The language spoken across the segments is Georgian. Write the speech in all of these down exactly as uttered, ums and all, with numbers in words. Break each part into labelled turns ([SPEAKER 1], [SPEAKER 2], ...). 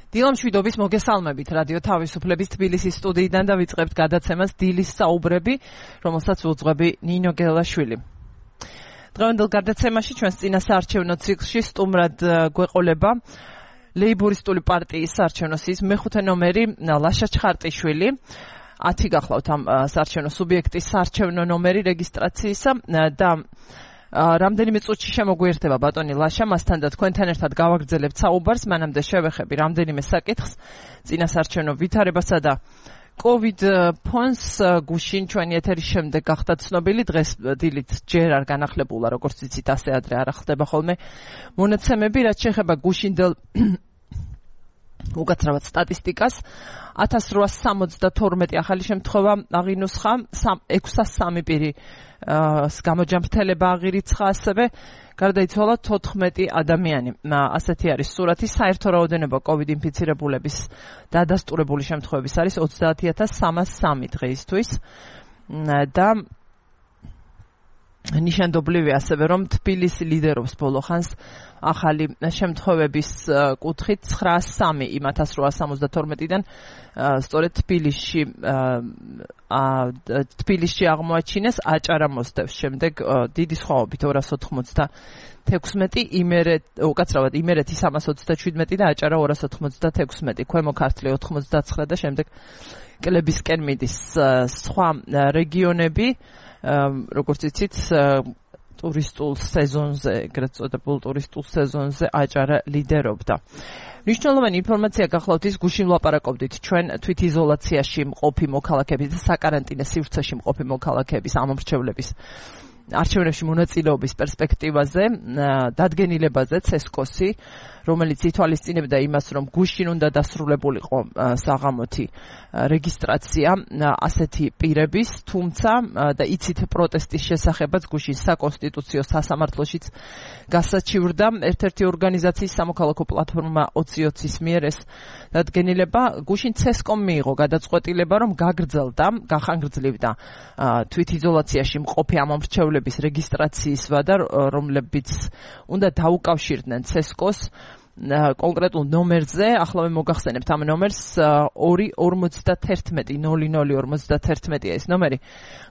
[SPEAKER 1] დილამშვიდობის მოგესალმებით რადიო თავისუფლების თბილისის სტუდიიდან და ვიწყებთ გადაცემას დილის საუბრები, რომელსაც უძღვები ნინო გელაშვილი. დღევანდელ გადაცემაში ჩვენს წინა საარჩევნო ციკლში სტუმრად გვეყოლება ლეიბორისტული პარტიის საარჩევნო სიის მეხუთე ნომერი ლაშა ჩხარტიშვილი. ათი გახლავთ ამ საარჩევნო სუბიექტის საარჩევნო ნომერი რეგისტრაციისა და რამდენიმე წუთში შემოგვიერთება ბატონი ლაშა, მასთან და თქვენთან ერთად გავაგრძელებთ საუბარს, მანამდე შევეხები რამდენიმე საკითხს წინა საარჩევნო ვითარებასა და COVID ფონს გუშინ ჩვენი ეთერის შემდეგ გახდა ცნობილი, დღეს დილით ჯერ არ განახლებულა, როგორც იცით, ასე ადრე არ ხდება ხოლმე მონაცემები, რაც შეეხება გუშინდელ უკაცრავად სტატისტიკას. ათას რვაას სამოცდათორმეტი ახალი შემთხვევა აღინუსხა, ექვსას სამი პირი გამოჯამრთელება აღირიცხა, ასევე გარდაიცვალა თოთხმეტი ადამიანი. ასეთი არის სურათი. საერთო რაოდენობა COVID ინფიცირებულების დადასტურებული შემთხვევების არის ოცდაათი ათას სამას სამი დღეისთვის და ნიშანდობლივია ასევე, რომ თბილისი ლიდერობს ბოლო ხანს ახალი შემთხვევების კუთხით ცხრაას სამი იმ ათას რვაას სამოცდათორმეტიდან სწორედ თბილისში თბილისში აღმოაჩინეს აჭარა მოსდევს, შემდეგ დიდი სხვაობით ორას ოთხმოცდათექვსმეტი, იმერეთ უკაცრავად იმერეთი სამას ოცდაშვიდმეტი და აჭარა ორას ოთხმოცდათექვსმეტი, ქვემო ქართლი ოთხმოცდაცხრა და შემდეგ კლებისკენ მიდის სხვა რეგიონები, როგორც იცით, ტურისტულ სეზონზე, ეგრეთ წოდებულ ტურისტულ სეზონზე აჭარა ლიდერობდა. მნიშვნელოვანი ინფორმაცია გახლავთ ის, გუშინ ვლაპარაკობდით ჩვენ თვითიზოლაციაში მყოფი მოქალაქეების და საკარანტინო სივრცეში მყოფი მოქალაქეების ამომრჩევლების არჩევნებში მონაწილეობის პერსპექტივაზე, დადგენილებაზე ცესკოსი, რომელიც ითვალისწინებდა იმას, რომ გუშინ უნდა დასრულებულიყო საღამოთი რეგისტრაცია ასეთი პირების, თუმცა და იცით პროტესტის შესახებაც გუშინ საკონსტიტუციო სასამართლოშიც გასაჩივრდა ერთ-ერთი ორგანიზაციის სამოქალაქო პლატფორმა ოცი ოცის მიერ ეს დადგენილება. გუშინ ცესკომ მიიღო გადაწყვეტილება, რომ გაგრძელდა, გახანგრძლივდა თვითიზოლაციაში მყოფი ამომრჩევლების რეგისტრაციის ვადა, რომლებიც უნდა დაუკავშირდნენ ცესკოს კონკრეტულ ნომერზე. ახლა მე მოგახსენებთ ამ ნომერს ორი ორმოცდათერთმეტი ნული ნული ორმოცდათერთმეტია ეს ნომერი.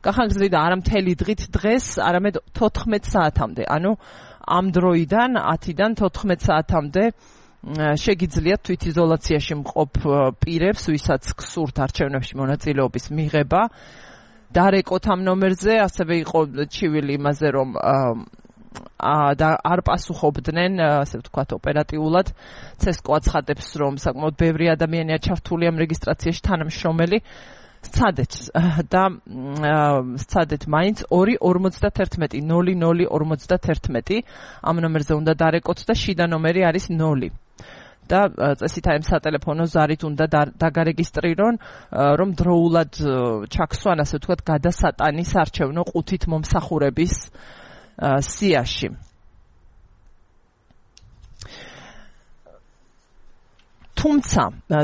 [SPEAKER 1] გახანგრძლივდა არა მთელი დღით დღეს, არამედ თოთხმეტ საათამდე. ანუ ამ დროიდან ათიდან თოთხმეტ საათამდე შეგიძლიათ თვითიზოლაციაში მყოფ პირებს, ვისაც გსურთ არჩევნებში მონაწილეობის მიღება, დარეკოთ ამ ნომერზე. ასევე იყო ჩივილი იმაზე, რომ და არ პასუხობდნენ, ასე ვთქვათ, ოპერატიულად. ცესკო აცხადებს, რომ საკმაოდ ბევრი ადამიანია ჩართული ამ რეგისტრაციაში, თანამშრომელი. სცადეთ და სცადეთ მაინც ორი ორმოცდათერთმეტი ნული ნული ორმოცდათერთმეტი ამ ნომერზე უნდა დარეკოთ და შიდა ნომერი არის ნული. და წესით აი ამ სატელეფონო ზარით უნდა დაგარეგისტრირონ, რომ დროულად ჩაქსვან, ასე ვთქვათ, გადასატანის არჩევნო ყუთით მომსახურების სიაში. თუმცა,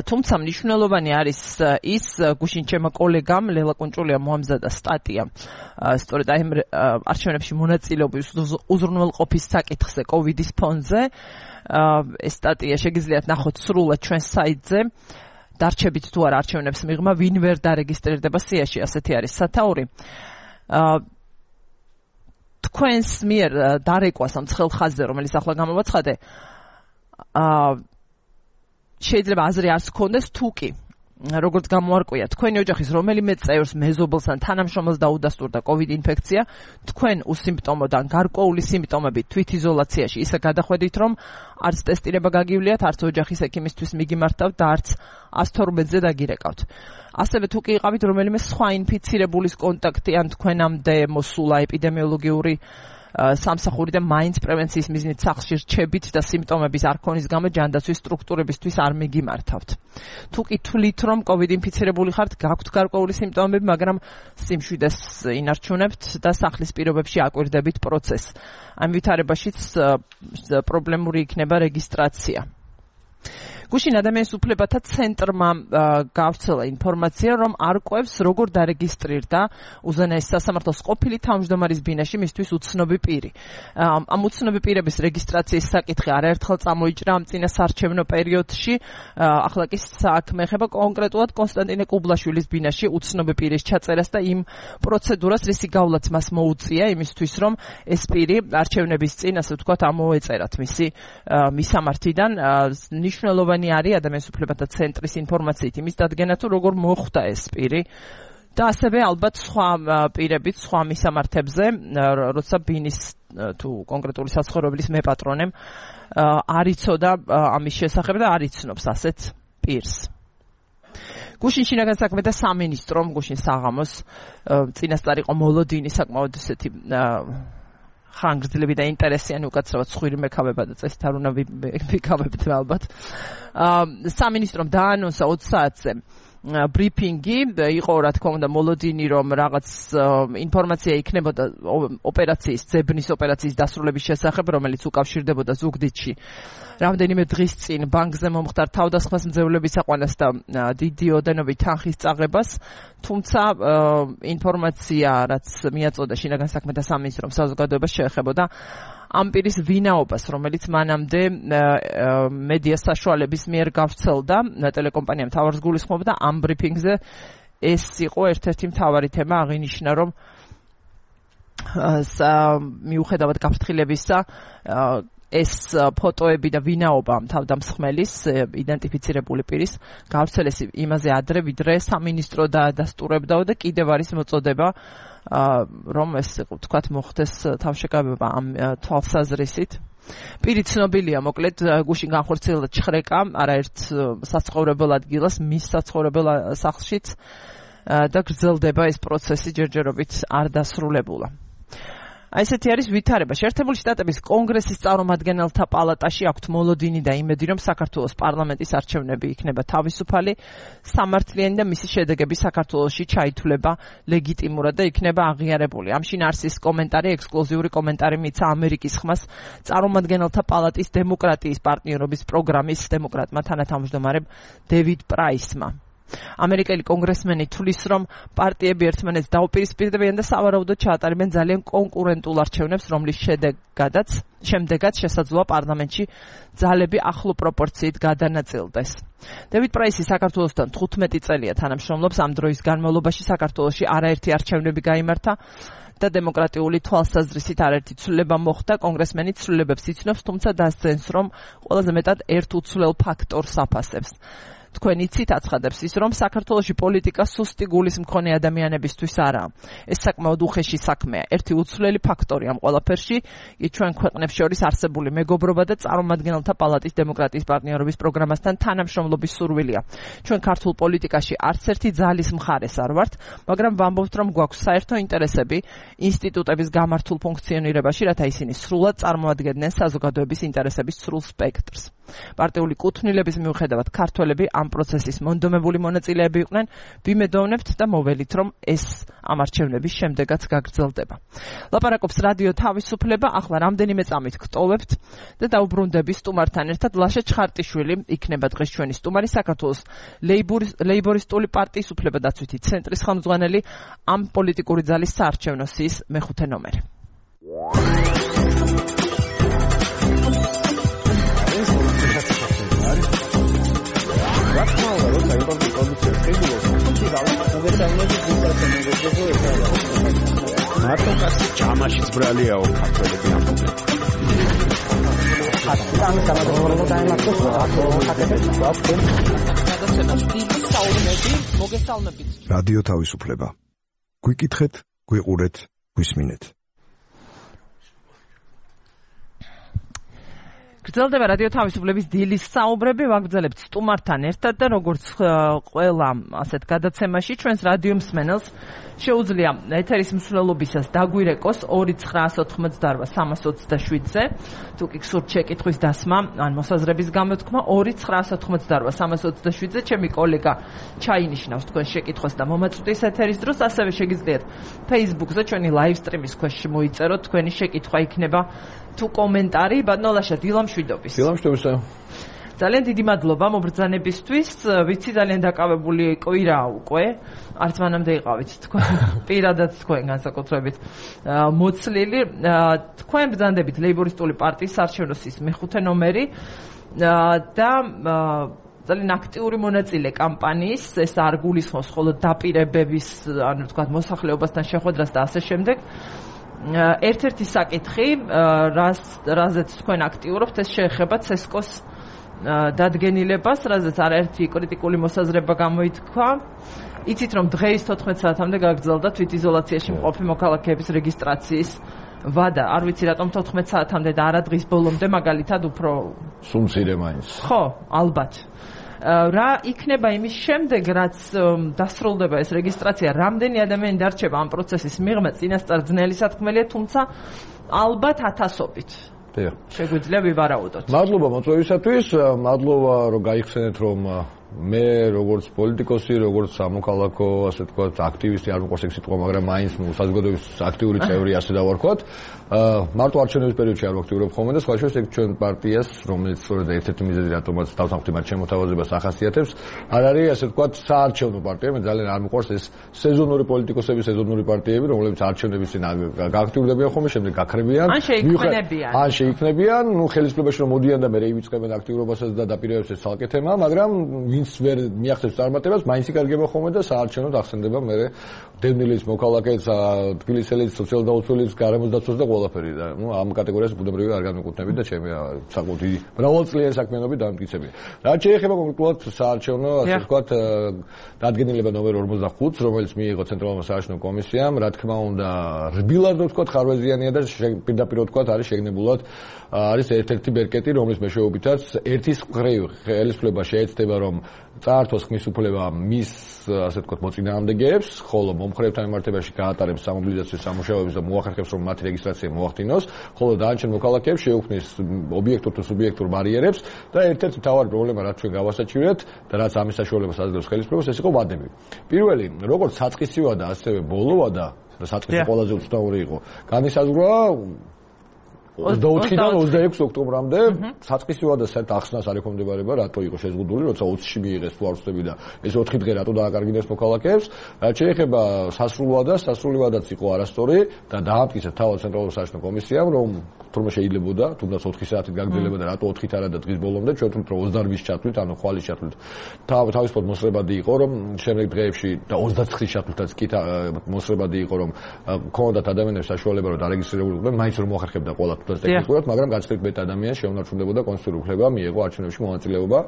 [SPEAKER 1] თუმცა მნიშვნელოვანი არის ის, გუშინ ჩემო კოლეგამ ლელა კუნჭულია მოამზადა სტატია სწორედ აი არჩევნებში მონაწილეობის უზრუნველყოფის საკითხზე COVID-ის ფონზე. ეს სტატია შეგიძლიათ ნახოთ სრულად ჩვენს საიტზე. დარჩებით თუ არა არჩევნებს მიღმა, ვინ ვერ დარეგისტრირდება სიაში, ასეთი არის სათაური. თქვენს მიერ დარეკვას ამ ცხელ ხაზზე, რომელიც ახლა გამოვაცხადე, შეიძლება აზრი არც გქონდეს, თუ კი როგორც გამოარკვია, თქვენი ოჯახის რომელიმე წევრს, მეზობელს ან თანამშრომელს დაუდასტურდა COVID ინფექცია, თქვენ უსიმპტომოდან გარკვეული სიმპტომებით თვითიზოლაციაში ისე გადახვედით, რომ არც ტესტირება გაგივლიათ, არც ოჯახის ექიმისთვის მიგიმართავთ და არც ას თორმეტზე დაგირეკავთ. ასევე თუ კი იყავით რომელიმე სხვა ინფიცირებულის კონტაქტი, ან თქვენამდე მოსულა ეპიდემიოლოგიური სამსახური და მაინც პრევენციის მიზნით სახლში რჩებით და სიმპტომების არ ქონის გამო ჯანდაცვის სტრუქტურებისთვის არ მიგიმართავთ. თუ კი თვლით, რომ COVID ინფიცირებული ხართ, გაქვთ გარკვეული სიმპტომები, მაგრამ სიმშვიდეს ინარჩუნებთ და სახლის პირობებში აკვირდებით პროცესს. ამ ვითარებაშიც პრობლემური იქნება რეგისტრაცია. გუშინ ადამიანის უფლებათა ცენტრმა გავრცელა ინფორმაცია, რომ არკვევს როგორ დარეგისტრირდა უზენაეს სასამართლოს ყოფილი თავმჯდომარის ბინაში მისთვის უცნობი პირი. ამ უცნობი პირების რეგისტრაციის საკითხი არაერთხელ წამოიჭრა ამ წინასარჩევნო პერიოდში. ახლა კი საქმე ეხება კონკრეტულად კონსტანტინე კუბლაშვილის ბინაში უცნობი პირის ჩაწერას და იმ პროცედურას, რისი გავლაც მას მოუწია იმისთვის, რომ ეს პირი არჩევნების წინ, ასე ვთქვათ, ამოეწერათ მისი მისამართიდან. ნიშნულოვანი არის ადამიანის უფლებათა ცენტრის ინფორმაციით იმის დადგენა, თუ როგორ მოხვდა ეს პირი და ასევე ალბათ სხვა პირებით, სხვა მისამართებზე, როცა ბინის თუ კონკრეტული საცხოვრებელის მეპატრონემ არ იცოდა ამის შესახებ და არ იცნობს ასეთ პირს. გუშინ შინაგან საქმეთა სამინისტრომ, გუშინ საღამოს წინასწარ იყო მოლოდინი, საკმაოდ ესეთი ხანგრძლივი და ინტერესიანი, უკაცრავად სხვირი მეკავება და წესით არ უნდა ვიკავებთ ალბათ. სამინისტრომ დაანონსა ოცი საათზე ბრიფინგი, იყო რა თქმა უნდა მოლოდინი, რომ რაღაც ინფორმაცია იქნებოდა ოპერაციის, ძებნის ოპერაციის დასრულების შესახებ, რომელიც უკავშირდებოდა ზუგდიდში რამდენიმე დღის წინ ბანკზე მომხდარ თავდასხმას მძევლების აყვანას და დიდი ოდენობით თანხის წაღებას, თუმცა ინფორმაცია, რაც მიაწოდა შინაგან საქმეთა სამინისტრომ საზოგადოებას, შეეხებოდა ამ პირის ვინაობას, რომელიც მანამდე მედია საშუალების მიერ გავრცელდა, ტელეკომპანია მთავარს გულისხმობდა ამ ბრიფინგზე. ეს იყო ერთ-ერთი მთავარი თემა, აღინიშნა, რომ მიუხედავად გაფრთხილებისა, ეს ფოტოები და ვინაობა თავდამსხმელის იდენტიფიცირებული პირის გავრცელეს იმაზე ადრე, ვიდრე სამინისტრო დაადასტურებდა და კიდევ არის მოწოდება, რომ ეს თქვათ მოხდეს თავშეკავება ამ თვალსაზრისით. პირი ცნობილია, მოკლედ გუშინ განხორციელდა ჩხრეკა არაერთ საცხოვრებელ ადგილას, მის საცხოვრებელ სახლშიც და გრძელდება ეს პროცესი, ჯერჯერობით არ დასრულებულა. აი ესეთი არის ვითარება. შეერთებული შტატების კონგრესის წარმომადგენელთა პალატაში აქვთ მოლოდინი და იმედი, რომ საქართველოს პარლამენტის არჩევნები იქნება თავისუფალი, სამართლიანი და მისი შედეგები საქართველოში ჩაითვლება ლეგიტიმურად და იქნება აღიარებული. ამ შინ არსის კომენტარი, ექსკლუზიური კომენტარი მიცა ამერიკის ხმას წარმომადგენელთა პალატის დემოკრატიის პარტნიორობის პროგრამის დემოკრატმა თანათავმჯდომარემ დევიდ პრაისმა. ამერიკელი კონგრესმენი თვლის, რომ პარტიები ერთმანეთს დაუპირისპირდებიან და სავარაუდოდ ჩაატარებენ ძალიან კონკურენტულ არჩევნებს, რომლის შედეგადაც შემდეგაც შესაძლოა პარლამენტში ძალები ახლო პროპორციით გადანაწილდეს. დევიდ პრაისი საქართველოსთან თხუთმეტი წელია თანამშრომლობს. ამ დროის განმავლობაში საქართველოში არაერთი არჩევნები გაიმართა და დემოკრატიული თვალსაზრისით არაერთი ცვლილება მოხდა. კონგრესმენი ცვლილებებს იცნობს, თუმცა დასძენს, რომ ყველაზე მეტად ერთ უცვლელ ფაქტორს აფასებს. თქვენ იცით, აცხადებს ის, რომ საქართველოში პოლიტიკა სუსტი გულის მქონე ადამიანებისთვის არაა. ეს საკმაოდ უხეში საქმეა. ერთი უცვლელი ფაქტორი ამ ყველაფერში კი ჩვენ ქვეყნებს შორის არსებული მეგობრობა და წარმომადგენელთა პალატის დემოკრატიის პარტნიორობის პროგრამასთან თანამშრომლობის სურვილია. ჩვენ ქართულ პოლიტიკაში არც ერთი ძალის მხარეს არ ვართ, მაგრამ ვამბობთ, რომ გვაქვს საერთო ინტერესები ინსტიტუტების გამართულ ფუნქციონირებაში, რათა ისინი სრულად წარმოადგენდნენ საზოგადოების ინტერესების სრულ სპექტრს. პარტიული კუთვნილების მიუხედავად ქართველები ამ პროცესის მონდომებული მონაწილეები იყვნენ, ვიმედოვნებთ და მოველით, რომ ეს ამ არჩევნების შემდეგაც გაგრძელდება. ლაპარაკობს რადიო თავისუფლება, ახლა რამდენიმე წამით გტოვებთ და დაუბრუნდები სტუმართან ერთად. ლაშა ჩხარტიშვილი იქნება დღეს ჩვენი სტუმარი, საქართველოს ლეიბორისტული პარტიის უფლებადაცვითი ცენტრის ხელმძღვანელი, ამ პოლიტიკური ძალის საარჩევნო სიის მეხუთე ნომერი.
[SPEAKER 2] მარტო კაცი ჯამაშიც ბრალიაო ქართველები ამბობენ.
[SPEAKER 3] ამ გამოგონებოდა დაემართოს
[SPEAKER 4] რადიო თავისუფლება. გვიკითხეთ, გვიყურეთ, გვისმინეთ.
[SPEAKER 1] გრძელდება რადიო თავისუფლების დილის საუბრები, ვაგრძელებთ სტუმართან ერთად და როგორც ყველა ასეთ გადაცემაში ჩვენს რადიო მსმენელს შეუძლია ეთერის მსვლელობისას დაგვირეკოს ორი ცხრაასი ოთხმოცდაოთხ სამას ოცდაშვიდზე, თუ კი გსურთ შეკითხვის დასმა ან მოსაზრების გამოთქმა ორი ცხრაასი ოთხმოცდაოთხ სამას ოცდაშვიდზე, ჩემი კოლეგა ჩაინიშნავს თქვენ შეკითხვას და მომაწვდის ეთერის დროს, ასევე შეგიძლიათ Facebook-ზე ჩვენი live stream-ის ქვეშ მოიწეროთ თქვენი შეკითხვა, იქნება თუ კომენტარი. ბატონო ლაშა, დილამშვიდობის.
[SPEAKER 2] დილამშვიდობისა.
[SPEAKER 1] ძალიან დიდი მადლობა მობრძანებისთვის. ვიცი ძალიან დაკავებული კვირა უკვე. არც მანამდე იყავით თქვენ პირადად თქვენ განსაკუთრებით მოცლილი. თქვენ ბრძანდებით ლეიბორისტული პარტიის საარჩევნო სიის მეხუთე ნომერი და ძალიან აქტიური მონაწილე კამპანიის, ეს არ გულისხმობს მხოლოდ დაპირებების, ანუ თქვა მოსახლეობასთან შეხვედრას და ასე შემდეგ. ერთ-ერთი საკითხი, რას რაზეც თქვენ აქტიურობთ, ეს შეეხება ცესკოს დადგენილებას, რაზეც არაერთი კრიტიკული მოსაზრება გამოითქვა. იცით რომ დღეის თოთხმეტ საათამდე გაგრძელდა თვითიზოლაციაში მყოფი მოქალაქეების რეგისტრაციის ვადა. არ ვიცი რატომ თოთხმეტ საათამდე და არა დღის ბოლომდე, მაგალითად უფრო
[SPEAKER 5] სუმცირე მაინც.
[SPEAKER 1] ხო, ალბათ. რა იქნება იმის შემდეგ, რაც დასრულდება ეს რეგისტრაცია, რამდენი ადამიანი დარჩება ამ პროცესის მიღმა, წინასწარ ძნელი სათქმელია, თუმცა ალბათ ათასობით. შეგვიძლია ვივარაუდოთ.
[SPEAKER 5] მადლობა მოწვევისათვის, მადლობა რომ გაიხსენეთ რომ მე როგორც პოლიტიკოსი, როგორც სამოქალაქო, ასე ვთქვათ, აქტივისტი არ მოყვარს ეგ სიტყვა, მაგრამ მაინც საზოგადოების აქტიური წევრი ასე დავარქვათ. მარტო არჩევნების პერიოდში არ ვაქტიურობ ხოლმე და სხვა შორის ეგ ჩვენ პარტიას, რომელიც სწორედ ერთ-ერთი მიზეზი რატომაც დავსახმდი მათ შემოთავაზებას ახასიათებს, არ არის ასე ვთქვათ საარჩევნო პარტია, მე ძალიან არ მოყვარს ეს სეზონური პოლიტიკოსები, სეზონური პარტიები, რომლებიც არჩევნების წინ გააქტიურდებიან ხოლმე, შემდეგ გაქრებიან.
[SPEAKER 1] ან შეიქმნებიან.
[SPEAKER 5] ან შეიქმნებიან, ნუ ხელისუფლებაში რომ მოდიან და მე ივიწყებენ აქტიურობასაც და დაპირებებს ეს ცალკე თემაა, მაგრამ ვინც ვერ მიაღწევს წარმატებას, მაინც იკარგება ხოლმე და საარჩევნოდ ახსენდება მე დევნილის მოქალაქეც, თბილისელის, სოციალ-დაუცველის, გარემოს დაცვას და ყველაფერი და ნუ ამ კატეგორიას ბუნებრივი არ განმეკუთვნებით და ჩემი საკმაოდ დიდი მრავალწლიანი საქმიანობით დამტკიცები. რაც შეეხება კონკრეტულად საარჩევნო, ასე ვთქვათ, დადგენილება ნომერ ორმოცდახუთს, რომელიც მიიღო ცენტრალურმა საარჩევნო კომისიამ, რა თქმა უნდა, რბილად ვთქვათ, ხარვეზიანია და პირდაპირ ვთქვათ, არის შეგნებულად არის ერთ-ერთი ბერკეტი, რომლის მეშვეობითაც ერთის მხრივ ხელისუფლება შეეცდება, რომ წაართვას ხმის უფლება მის, ასე ვთქვათ, მოწინააღმდეგეებს, ხოლო მომხრეებთან მიმართებაში გაატარებს სამობილიზაციო სამუშაოებს და მოახერხებს, რომ მათი რეგისტრაცია მოახდინოს, ხოლო დანარჩენ მოქალაქეებს შეუქმნის ობიექტურ თუ სუბიექტურ ბარიერებს და ერთ-ერთი მთავარი პრობლემა, რაც ჩვენ გავასაჩივრეთ და რაც ამის საშუალებას აძლევს ხელისუფლებას, ეს იყო ვადები. პირველი, როგორც საწყისი ვადა, ასევე ბოლო ვადა, და საწყისი ყველაზე უცნაური იყო, განისაზღვრა ოცდაოთხიდან ოცდაექვსი ოქტომბრამდე საწყისი ვადა საერთოდ ახსნას არ ექვემდებარება, რატო იყო შეზღუდული, როცა ოცში მიიღეს თუ არ ვწდები და ეს ოთხი დღე რატო დააკარგინეს მოქალაქეებს. რაც შეეხება სასრულ ვადას, სასრული ვადაც იყო არასწორი და დაამტკიცა თავად ცენტრალურ საარჩევნო კომისიამ, რომ თურმე შეიძლებოდა, თუნდაც ოთხი საათით გაგრძელება და რატო ოთხით არა და დღის ბოლომდე, ჩვენ თვითონ რომ ოცდაოთხის ჩათვლით, ანუ ხვალის ჩათვლით. თავისუფლად მოსრებადი იყო, რომ შემდეგ დღეებში და ოცდაცხრის ჩათვლითაც კი მოსრებადი იყო, რომ ქონდათ ადამიანებს საშუალება რომ დარეგისტრირებულიყვნენ, მაინც რომ მოახერხებდა ყველა ტექნიკურად, მაგრამ განსხვავებით მეტ ადამიანს შეუნარჩუნდებოდა კონსტიტუციური უფლება, მიიღო არჩევნებში მონაწილეობა,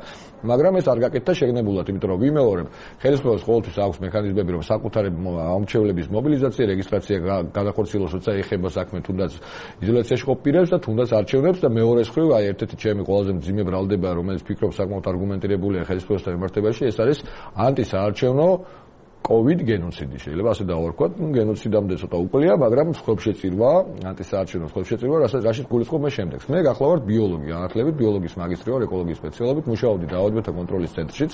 [SPEAKER 5] მაგრამ ეს არ გაკეთდა შეგნებულად, იმიტომ რომ ვიმეორებ, ხელისუფლებას ყოველთვის აქვს მექანიზმები, რომ საკუთარი ამრჩევლების მობილიზაცია, რეგისტრაცია გადახორციელოს, როცა ეხება საქმე თუნდაც იზოლაციაში ყოფ პირებს და თუნდაც არჩევნებს და მეორე მხრივ, აი ერთ-ერთი ჩემი ყველაზე მძიმე ბრალდება, რომელიც ფიქრობს საკმაოდ არგუმენტირებულია ხელისუფლებასთან მიმართებაში, ეს არის ანტისაარჩევნო COVID გენოციდი, შეიძლება ასე დავარქვათ, ნუ გენოციდამდე ცოტა უკლია, მაგრამ ხმშეწირვა, ანტისაარჩევნო ხმშეწირვა, რასაც რაშიც გულისხმობ მე შემდეგს. მე გახლავართ ბიოლოგი, განათლებით, ბიოლოგიის მაგისტრი ვარ, ეკოლოგიის სპეციალობით, მუშაობდი დაავადებათა კონტროლის ცენტრშიც.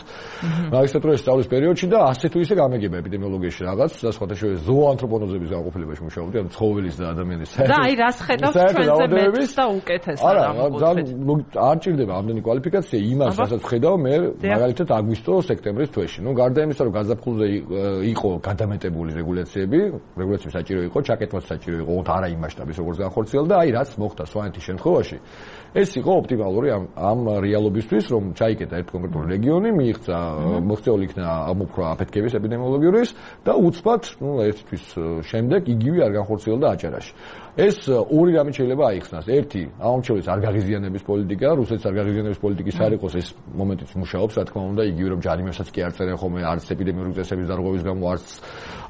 [SPEAKER 5] მაგისტრატურის სწავლის პერიოდში და ასე თუ ისე გამეგება ეპიდემიოლოგიაში რაღაც და სხვათა შორის ზოოანთროპონოზების განყოფილებაში მუშაობდი, ანუ ცხოველის და ადამიანის საერთო.
[SPEAKER 1] და აი რას ხედავთ ჩვენზე მეტს და უკეთესად
[SPEAKER 5] არა, არ ჭირდება ამდენი კვალიფიკაცია იმას, რასაც ხედავ მე მაგალითად აგვისტო-სექტემბრის თვეში. ნუ გარდა იმისა, რომ გაზაფხულზე იყო გადამეტებული რეგულაციები, რეგულაციები საჭირო იყო, ჩაკეთმაც საჭირო იყო, არა იმ მასშტაბის როგორც განხორციელდა, აი რაც მოხდა სვანეთის შემთხვევაში. ეს იყო ოპტიმალური ამ ამ რეალობისთვის, რომ ჩაიკეტა ერთ კონკრეტული რეგიონი, მიიღწა მოქცეული იქნა ამოფრვა აფეთქების ეპიდემიოლოგიურის და უცბად, ნუ ერთი თვის შემდეგ იგივე არ განხორციელდა აჭარაში. ეს ორი რამე შეიძლება აიხსნას. ერთი, ამომრჩევლის არ გაღიზიანების პოლიტიკა, რუსეთის არ გაღიზიანების პოლიტიკის არ იყოს ეს მომენტიც მუშაობს, რა თქმა უნდა, იგივე რომ ჯარიმებსაც კი არ წერენ ხოლმე, არც ეპიდემიური წესების დარღვევის გამო, არც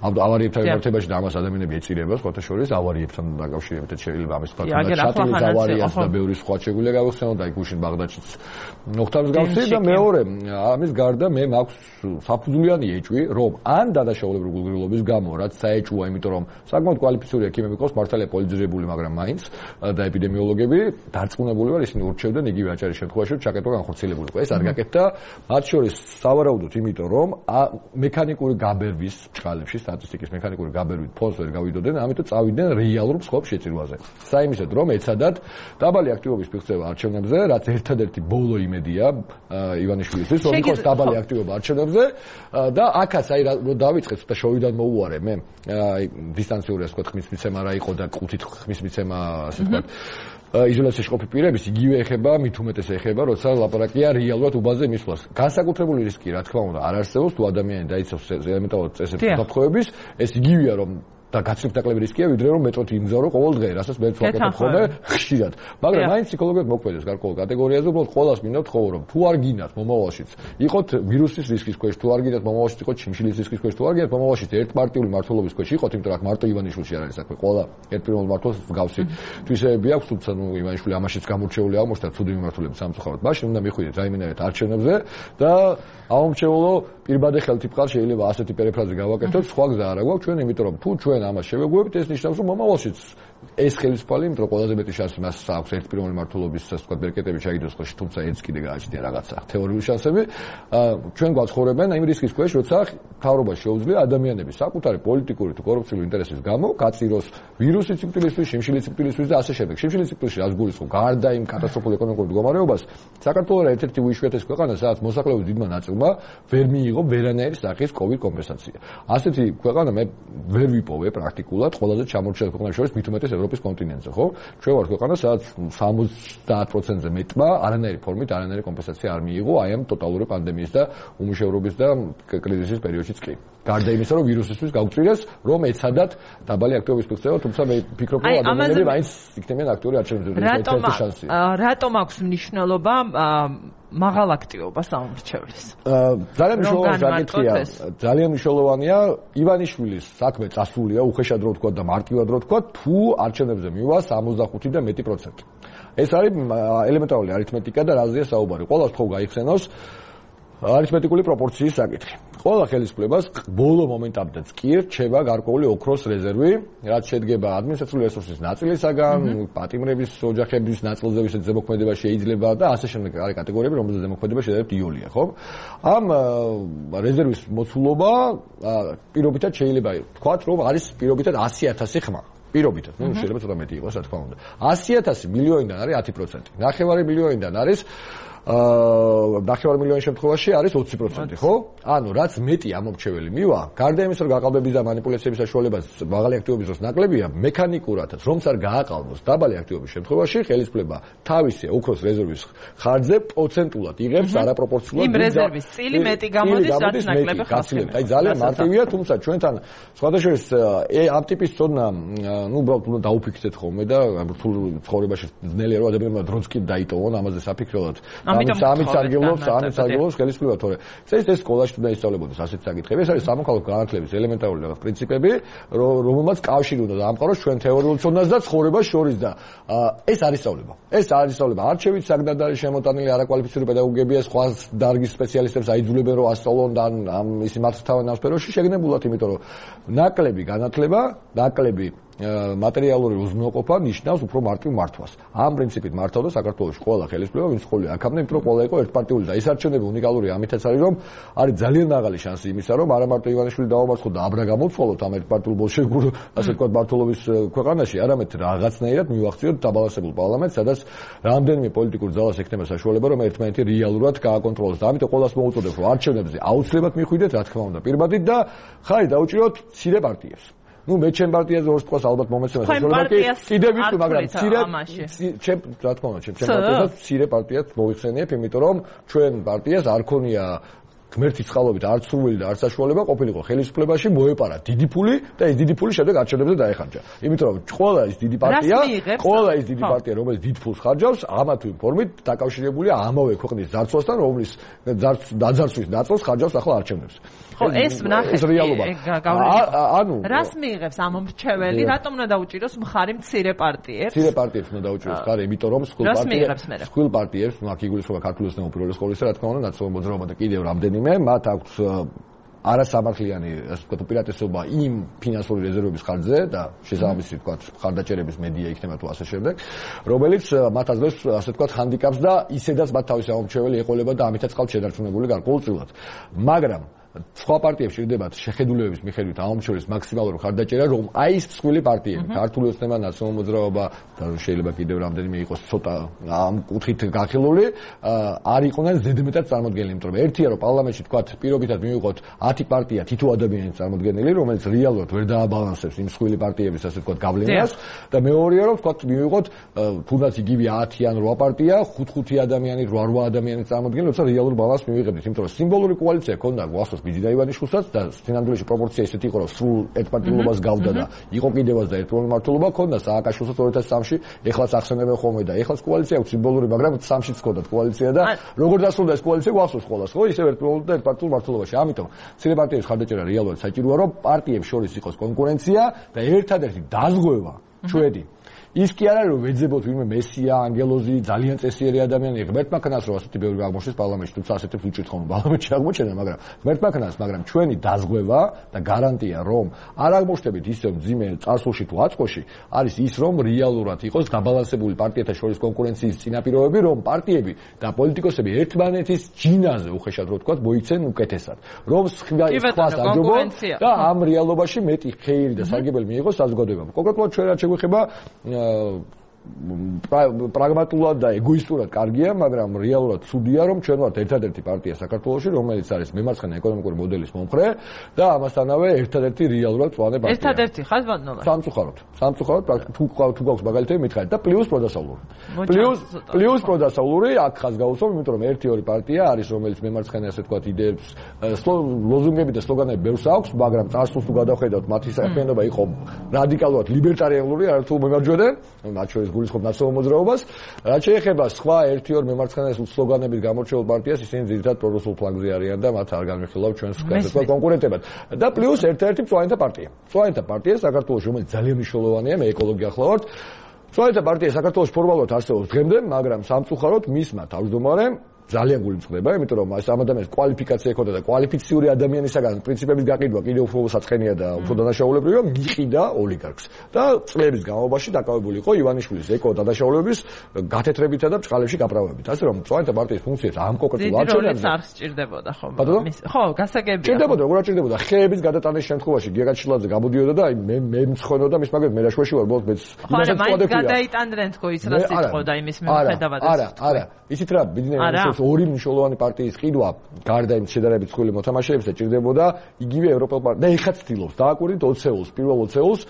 [SPEAKER 5] ავარიებთან მიმართებაში და ამას ადამიანები ეწირება, სხვათა შორის ავარიებთან დაკავშირებით შეიძლება ამის თქვა ჩატილის ავარიას და ბევრი სხვა შეგვიძლია გავიხსენოთ, აი გუშინ ბაღდადშიც მოხდა მსგავსი და მეორე, ამის გარდა მე მაქვს საფუძვლიანი ეჭვი, რომ ან დადაშაულებრივი გულგრილობის გამო, რაც საეჭვოა, იმიტომ რომ საკმაოდ კვალიფიციური ექიმები ყავს, მართალია პოლიტიზირებული, მაგრამ მაინც და ეპიდემიოლოგები დარწმუნებული ვარ, ისინი ურჩევდნენ იგივე აჭარის შემთხვევაში, ჩაკეტვა განხორციელებულიყო. ეს არ გაკეთდა, მათ შორის სავარაუდოდ, იმიტომ რომ მექანიკური გაბერვის ჭყალებში, სტატისტიკის მექანიკური გაბერვით ფონს ვერ გავიდოდნენ, ამიტომ წავიდნენ რეალურ მსხვერპლ შეწირვაზე. საიმისოდ, რომ ეცადათ დაბალი აქტივობის მიღწევა არჩევნებზე, რაც ერთადერთი ბოლო იმედია ივანიშვილისთვის, რომ იყოს დაბალი აქტივობა არჩევნებზე და აქაც აი რომ დავიწყეთ და შოვიდან მოუარე მე, აი დისტანციური ასე ვთქვათ, ხმის მიცემა რა იყო და ყუთით ხმის მიცემა ასე ვთქვათ იზოლაციაში ყოფილი პირების იგივე ეხება, მით უმეტეს ეხება, როცა ლაპარაკია რეალურად უბანზე მისვლას. განსაკუთრებული რისკი, რა თქმა უნდა, არ არსებობს, თუ ადამიანი დაიცავს ელემენტარულად წესებს უთანხმოების, ეს იგივეა, რომ და გაცრით დაკლები რისკია, ვიდრე რომ მეტროთ იმგზავრო ყოველ დღე, რასაც მეც ვაკეთებ ხოლმე ხშირად. მაგრამ მაინც ფსიქოლოგიურად მოქმედებს გარკვეულ კატეგორიაზე, უბრალოდ ყოველას მინდა ვთხოვო, რომ თუ არ გინდათ მომავალშიც, იყოთ ვირუსის რისკის ქვეშ, თუ არ გინდათ მომავალშიც იყოთ ჩიმშილის რისკის ქვეშ, თუ არ გინდათ მომავალშიც ერთპარტიული მართლობის ქვეშ იყოთ, იმიტომ რომ მარტო ივანიშვილში არ არის საქმე, ყველა ერთპიროვნულ მართლობს მსგავსი თვისებები აქვს, თუმცა ნუ ივანიშვილი ამაშიც გამორჩეული აღმოჩნდა ცუდი მიმართულებით სამწუხაროდ. მაშინ უნდა მიხვიდეთ რაიმენერეთ არჩევნებზე და აუმჩეულო პირბადე ხელთიფყარ შეიძლება ასეთი პერიფრაზი გავაკეთოთ, სხვა გზა არ აქვს ჩვენ, იმიტომ რომ თუ ჩვენ ამას შევეგუებით, ეს ნიშნავს, რომ მომავალშიც ეს ხელისუფალი, იმიტომ რომ ყველაზე მეტი შანსი მას აქვს ერთპიროვნული მართლობის ასე ვთქვათ ბერკეტები ჩაიდოს ხელში, თუმცა ეს კიდე გააჩნია რაღაცა თეორიული შანსები. ჩვენ გვაცხოვრებენ იმ რისკის ქვეშ, როცა მთავრობა შეუძლია ადამიანების საკუთარი პოლიტიკური თუ კორუფციული ინტერესის გამო გაწიროს ვირუსის სიკვდილისთვის, შიმშილის სიკვდილისთვის და ასე შემდეგ. შიმშილის სიკვდილში რაც გულისხმობ, გარდა იმ კატასტროფულ ეკონომიკურ მდგომარეობას, საქართველოს ერთ-ერთი უიშვიათესი ქვეყანა, სადაც მოსახლეობის დიდმა ნაწილმა ვერ მიიღო ვერანაირი სახის კოვიდ კომპენსაცია. ასეთი ქვეყანა მე ვერ ვიპოვე პრაქტიკულად ყველაზე ჩამორჩენილ ქვეყნებს შორის მით უმეტეს ევროპის კონტინენტზე, ხო? ჩვენ ვართ ქვეყანა, სადაც სამოცდაათ პროცენტზე მეტმა არანაირი ფორმით არანაირი კომპენსაცია არ მიიღო აი ამ ტოტალური პანდემიის და უმუშევრობის და კრიზისის პერიოდშიც კი. გარდა იმისა, რომ ვირუსისთვის გაუწირეს, რომ ეცადათ დაბალი აქტივობის მიღწევა, თუმცა მე ვფიქრობ, რომ ადამიანები მაინც იქნებიან აქტიური არჩევნებზე.
[SPEAKER 1] რატომ რატომ აქვს მნიშვნელობა მაღალ აქტივობას აუმრჩევლის?
[SPEAKER 5] ძალიან მნიშვნელოვანი საკითხია. ძალიან მნიშვნელოვანია ივანიშვილის საქმე წასულია, უხეშად რო ვთქვა და მარტივად რო ვთქვა, თუ არჩევნებზე მივა სამოცდახუთი და მეტი პროცენტი. ეს არის ელემენტარული არითმეტიკა და რაზეა საუბარი. ყველას ხო გაიხსენოს არითმეტიკული პროპორციის საკითხი. ყველა ხელისუფლებას ბოლო მომენტამდეც კი რჩება გარკვეული ოქროს რეზერვი, რაც შედგება ადმინისტრაციული რესურსის ნაწილისაგან, პატიმრების ოჯახების ნაწილზე, ვისაც ზემოქმედება შეიძლება და ასე შემდეგ არის კატეგორიები, რომელზეც ზემოქმედება შეიძლება იოლია, ხო? ამ რეზერვის მოცულობა პირობითად შეიძლება ვთქვათ, რომ არის პირობითად ასი ათასი ხმა. პირობითად, ნუ შეიძლება ცოტა მეტი იყოს, რა თქმა უნდა. ასი ათასი მილიონიდან არის ათი პროცენტი. ნახევარი მილიონიდან არის აა ნახევარ მილიონის შემთხვევაში არის ოცი პროცენტი, ხო? ანუ რაც მეტი ამომრჩეველი მივა, გარდა იმისა, რომ გაყალბების და манипуляციების საშუალებას მაღალი აქტივობის დროს ნაკლებია, მექანიკურადაც რომც არ გააყალბოს დაბალი აქტივობის შემთხვევაში, ხელისუფლება თავისი ოქროს რეზერვის ხარჯზე პროცენტულად იღებს არაპროპორციულად
[SPEAKER 1] იმ რეზერვის წილი მეტი გამოდის, რაც ნაკლები ხასიათი.
[SPEAKER 5] აი ძალიან მარტივია, თუმცა ჩვენთან სხვადასხვა ამ ტიპის ცოდნა, ნუ უბრალოდ უნდა დაუფიქრდეთ ხოლმე და რთულ ცხოვრებაში ძნელია რომ ადამიანებმა დროც კი დაიტოვონ ამაზე საფიქრებლად. ამით ამით სარგებლობს, ამით სარგებლობს ხელისუფლება, თორე ეს ეს სკოლაში თუ დაისწავლებოდეს ასეთ საკითხები, ეს არის სამოქალაქო განათლების ელემენტარული რაღაც პრინციპები, რომელმაც კავშირი უნდა დაამყაროს ჩვენ თეორიულ ცოდნას და ცხოვრებას შორის და ეს არის სწავლება. ეს არის სწავლება. არჩევით საგდად არის შემოტანილი არაკვალიფიციური პედაგოგებია, სხვა დარგის სპეციალისტებს აიძულებენ რომ ასწავლონ და ამ ისი მათ თავენ ამ სფეროში შეგნებულად, იმიტომ რომ ნაკლები განათლება, ნაკლები მატერიალური უზრუნველყოფა ნიშნავს უფრო მარტივ მართვას. ამ პრინციპით მართავდა საქართველოს ყველა ხელისუფლება, ვინც ხოლმე აქამდე, იმიტომ რომ ყველა იყო ერთპარტიული და ეს არჩევნები უნიკალური ამითაც არის, რომ არის ძალიან მაღალი შანსი იმისა, რომ არა მარტო ივანიშვილი დაამარცხოთ და აბრა გამოცვალოთ ამ ერთპარტიულ ბოლშევიკურ, ასე ვთქვათ, მართლობის ქვეყანაში, არამედ რაღაცნაირად მივახციოთ დაბალანსებულ პარლამენტს, სადაც რამდენიმე პოლიტიკურ ძალას ექნება საშუალება, რომ ერთმანეთი რეალურად გააკონტროლოს და ამიტომ ყველას მოუწოდებ, რომ არჩევნებზე აუცილებლად მიხვიდეთ, რა თქმა უნდა, პირბადით და ხარი დაუჭიროთ მცირე პარტიებს. ნუ მე ჩემ პარტიაზე ორს თქოს ალბათ მომეცემა საშუალება კი კიდე ვიტყვი, მაგრამ მცირე ჩემ რა თქმა უნდა ჩემ პარტიასაც მცირე პარტიას მოიხსენიებ, იმიტომ რომ ჩვენ პარტიას არ ქონია ღმერთის წყალობით არც სურვილი და არც საშუალება ყოფილიყო ხელისუფლებაში მოეპარა დიდი ფული და ეს დიდი ფული შემდეგ არჩევნებზე დაეხარჯა. იმიტომ რომ ყველა ის დიდი პარტია, ყველა ის დიდი პარტია, რომელიც დიდ ფულს ხარჯავს, ამა თუ იმ ფორმით დაკავშირებულია ამავე ქვეყნის ძარცვასთან, რომლის დაძარცვის ნაწილს ხარჯავს ახლა არჩევნებს.
[SPEAKER 1] ხო, ეს ვნახეთ.
[SPEAKER 5] ეს რეალობა.
[SPEAKER 1] ანუ რას მიიღებს ამომრჩეველი? რატომ უნდა დაუჭიროს მხარი მცირე პარტიებს?
[SPEAKER 5] მცირე პარტიებს უნდა დაუჭიროს მხარი, იმიტომ რომ სკულ პარტიებს, სკულ პარტიებს, ნუ აქ იგულისხმება ქართული ოცნება უპირველეს ყოვლისა, რა თქმა უნდა, ნაცნობი მოძრაობა და კიდევ რამდენიმე, მათ აქვს არასამართლიანი, ასე ვთქვათ, უპირატესობა იმ ფინანსური რეზერვების ხარჯზე და შესაბამისი, ვთქვათ, ხარდაჭერების მედია იქნება თუ ასე შემდეგ, რომელიც მათ აძლევს, ასე ვთქვათ, ჰანდიკაპს და ისედაც მათ თავისი ამომრჩეველი ეყოლება და ამითაც ყავთ შედარჩუნებული გარკვეულწილად. მაგრამ სხვა პარტიებს ჭირდებათ შეხედულებების მიხედვით ამ შორის მაქსიმალური მხარდაჭერა, რომ აი ეს მსხვილი პარტიები, ქართული ოცნება, ნაციონალური მოძრაობა და შეიძლება კიდევ რამდენიმე იყოს ცოტა ამ კუთხით გახილული, არ იყვნენ ზედმეტად წარმოდგენილი, იმიტომ რომ ერთია რომ პარლამენტში თქვათ პირობითად მივიღოთ ათი პარტია თითო ადამიანის წარმოდგენილი, რომელიც რეალურად ვერ დააბალანსებს იმ მსხვილი პარტიების ასე თქვათ გავლენას და მეორეა რომ თქვათ მივიღოთ თუნდაც იგივე ათი ან რვა პარტია, ხუთ-ხუთი ადამიანი, რვა-რვა ადამიანის წარმოდგენილი, როცა რეალურ ბალანსს მივიღებთ, იმიტომ რომ სიმბოლური კოალიცია ქონდა გვახსოვს ბიძინა ივანიშვილსაც და სინამდვილეში პროპორცია ისეთი იყო, რომ სრულ ერთპარტიულობას გავდა და იყო კიდევაც და ერთპარტიული მმართველობა ქონდა სააკაშვილსაც ორი ათას სამში, ეხლაც ახსენებენ ხოლმე და ეხლაც კოალიცია აქვს სიმბოლური, მაგრამ სამშიც ქონდათ კოალიცია და როგორ დასრულდა ეს კოალიცია გვახსოვს ყველას, ხო? ისევ ერთპარტიულ და ერთპარტიულ მმართველობაში. ამიტომ მცირე პარტიების ხარდაჭერა რეალურად საჭიროა, რომ პარტიებს შორის იყოს კონკურენცია და ერთადერთი დაზღვევა ჩვენი ის კი არა რომ ვეძებოთ ვინმე მესია, ანგელოზი, ძალიან წესიერი ადამიანი, ღმერთმა ქნას რომ ასეთი ბევრი აღმოჩნდეს პარლამენტში, თუმცა ასეთებს უჭირთ ხოლმე პარლამენტში აღმოჩენა, მაგრამ ღმერთმა ქნას, მაგრამ ჩვენი დაზღვევა და გარანტია რომ არ აღმოჩნდებით ისე მძიმე წარსულში თუ აწყოში, არის ის რომ რეალურად იყოს დაბალანსებული პარტიათა შორის კონკურენციის წინაპირობები, რომ პარტიები და პოლიტიკოსები ერთმანეთის ჯინაზე უხეშად რო ვთქვათ, მოიქცენ უკეთესად, რომ სხვას აჯობონ და ამ რეალობაში მეტი ხეირი და სარგებელი მიიღოს საზოგადოებამ. კონკრეტულად ჩვენ რაც შეგვეხება პრაგმატულად და ეგოისტურად კარგია, მაგრამ რეალურად ცუდია, რომ ჩვენ ვართ ერთადერთი პარტია საქართველოში, რომელიც არის მემარცხენე ეკონომიკური მოდელის მომხრე და ამასთანავე ერთადერთი რეალურად მწვანე პარტია.
[SPEAKER 1] ერთადერთი ხარ ბატონო?
[SPEAKER 5] სამწუხაროდ. სამწუხაროდ თუ თუ გვაქვს მაგალითები მითხარით და პლუს პროდასავლური. პლუს პლუს პროდასავლური აქ ხაზ გავუსვამ, იმიტომ რომ ერთი ორი პარტია არის, რომელიც მემარცხენე ასე თქვათ იდეებს, ლოზუნგები და სლოგანები ბევრს აქვს, მაგრამ წარსულს თუ გადავხედავთ, მათი საქმიანობა იყო რადიკალურად ლიბერტარიანული, არათუ მემარჯვენე, მათ შორის გულისხმობ ნაციონალურ მოძრაობას. რაც შეეხება სხვა ერთი ორ მემარცხენე სლოგანებით გამორჩეულ პარტიას, ისინი ძირითადად პრორუსულ ფლანგზე არიან და მათ არ განვიხილავთ ჩვენს თქვა კონკურენტებად. და პლუს ერთ-ერთი მწვანეთა პარტია. მწვანეთა პარტია საქართველოს, რომელიც ძალიან მნიშვნელოვანია, მე ეკოლოგი ახლავართ. მწვანეთა პარტია საქართველოს ფორმალურად არსებობს დღემდე, მაგრამ სამწუხაროდ მისმა თავმჯდომარემ ძალიან გულისხმდება, იმიტომ რომ ეს ამ ადამიანის კვალიფიკაცია ექოდა და კვალიფიციური ადამიანისაგან პრინციპების გაყიდვა კიდევ უფრო საწყენია და უფრო დანაშაულებრივია, მიყიდა ოლიგარქს. და წლების განმავლობაში დაკავებული იყო ივანიშვილის ეკო დანაშაულებების გათეთრებითა და ბჭყალებში გაправებით. ასე რომ მწვანეთა პარტიის ფუნქციას ამ კონკრეტულ არჩევნებზე
[SPEAKER 1] არ სჭირდებოდა ხო? ხო, გასაგებია.
[SPEAKER 5] სჭირდებოდა, როგორ არ სჭირდებოდა? ხეების გადატანის შემთხვევაში გიგა ჩილაძე გამოდიოდა და აი მე მე მცხონოდა მის მაგერ მე რაშვაში ვარ, ბოლოს მეც
[SPEAKER 1] იმასაც წოდებული. ხო, გადაიტანდნენ თქო ის რა სიტყვა იმის მიუხედავად.
[SPEAKER 5] არა, არა, ისიც რა ბიძინა ორი მნიშვნელოვანი პარტიის ყიდვა გარდა იმ შედარებით მსხვილი მოთამაშეებისა ჭირდებოდა იგივე ევროპელ პარტია და ეხაც ცდილობს დააკვირდით ოცეულს, პირველ ოცეულს,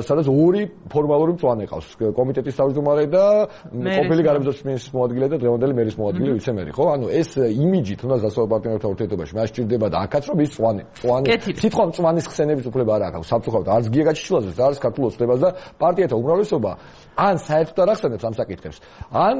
[SPEAKER 5] სადაც ორი ფორმალური მწვანე ყავს, კომიტეტის თავმჯდომარე და ყოფილი გარემოძიების მინისტრის მოადგილე და დღევანდელი მერის მოადგილე ვიცე-მერი, ხო? ანუ ეს იმიჯი თუნდაც დასავლელ პარტნიორებთან ურთიერთობაში მას ჭირდება და აქაც რომ ის მწვანე, მწვანე, სიტყვა მწვანის ხსენების უფლება არ აქვს, სამწუხაროდ არც გიგა გაჩილაძეს, არც ქართულ ოცნებას და პარტიათა უმრავლესობა ან საერთოდ არ ახსენებს ამ საკითხებს, ან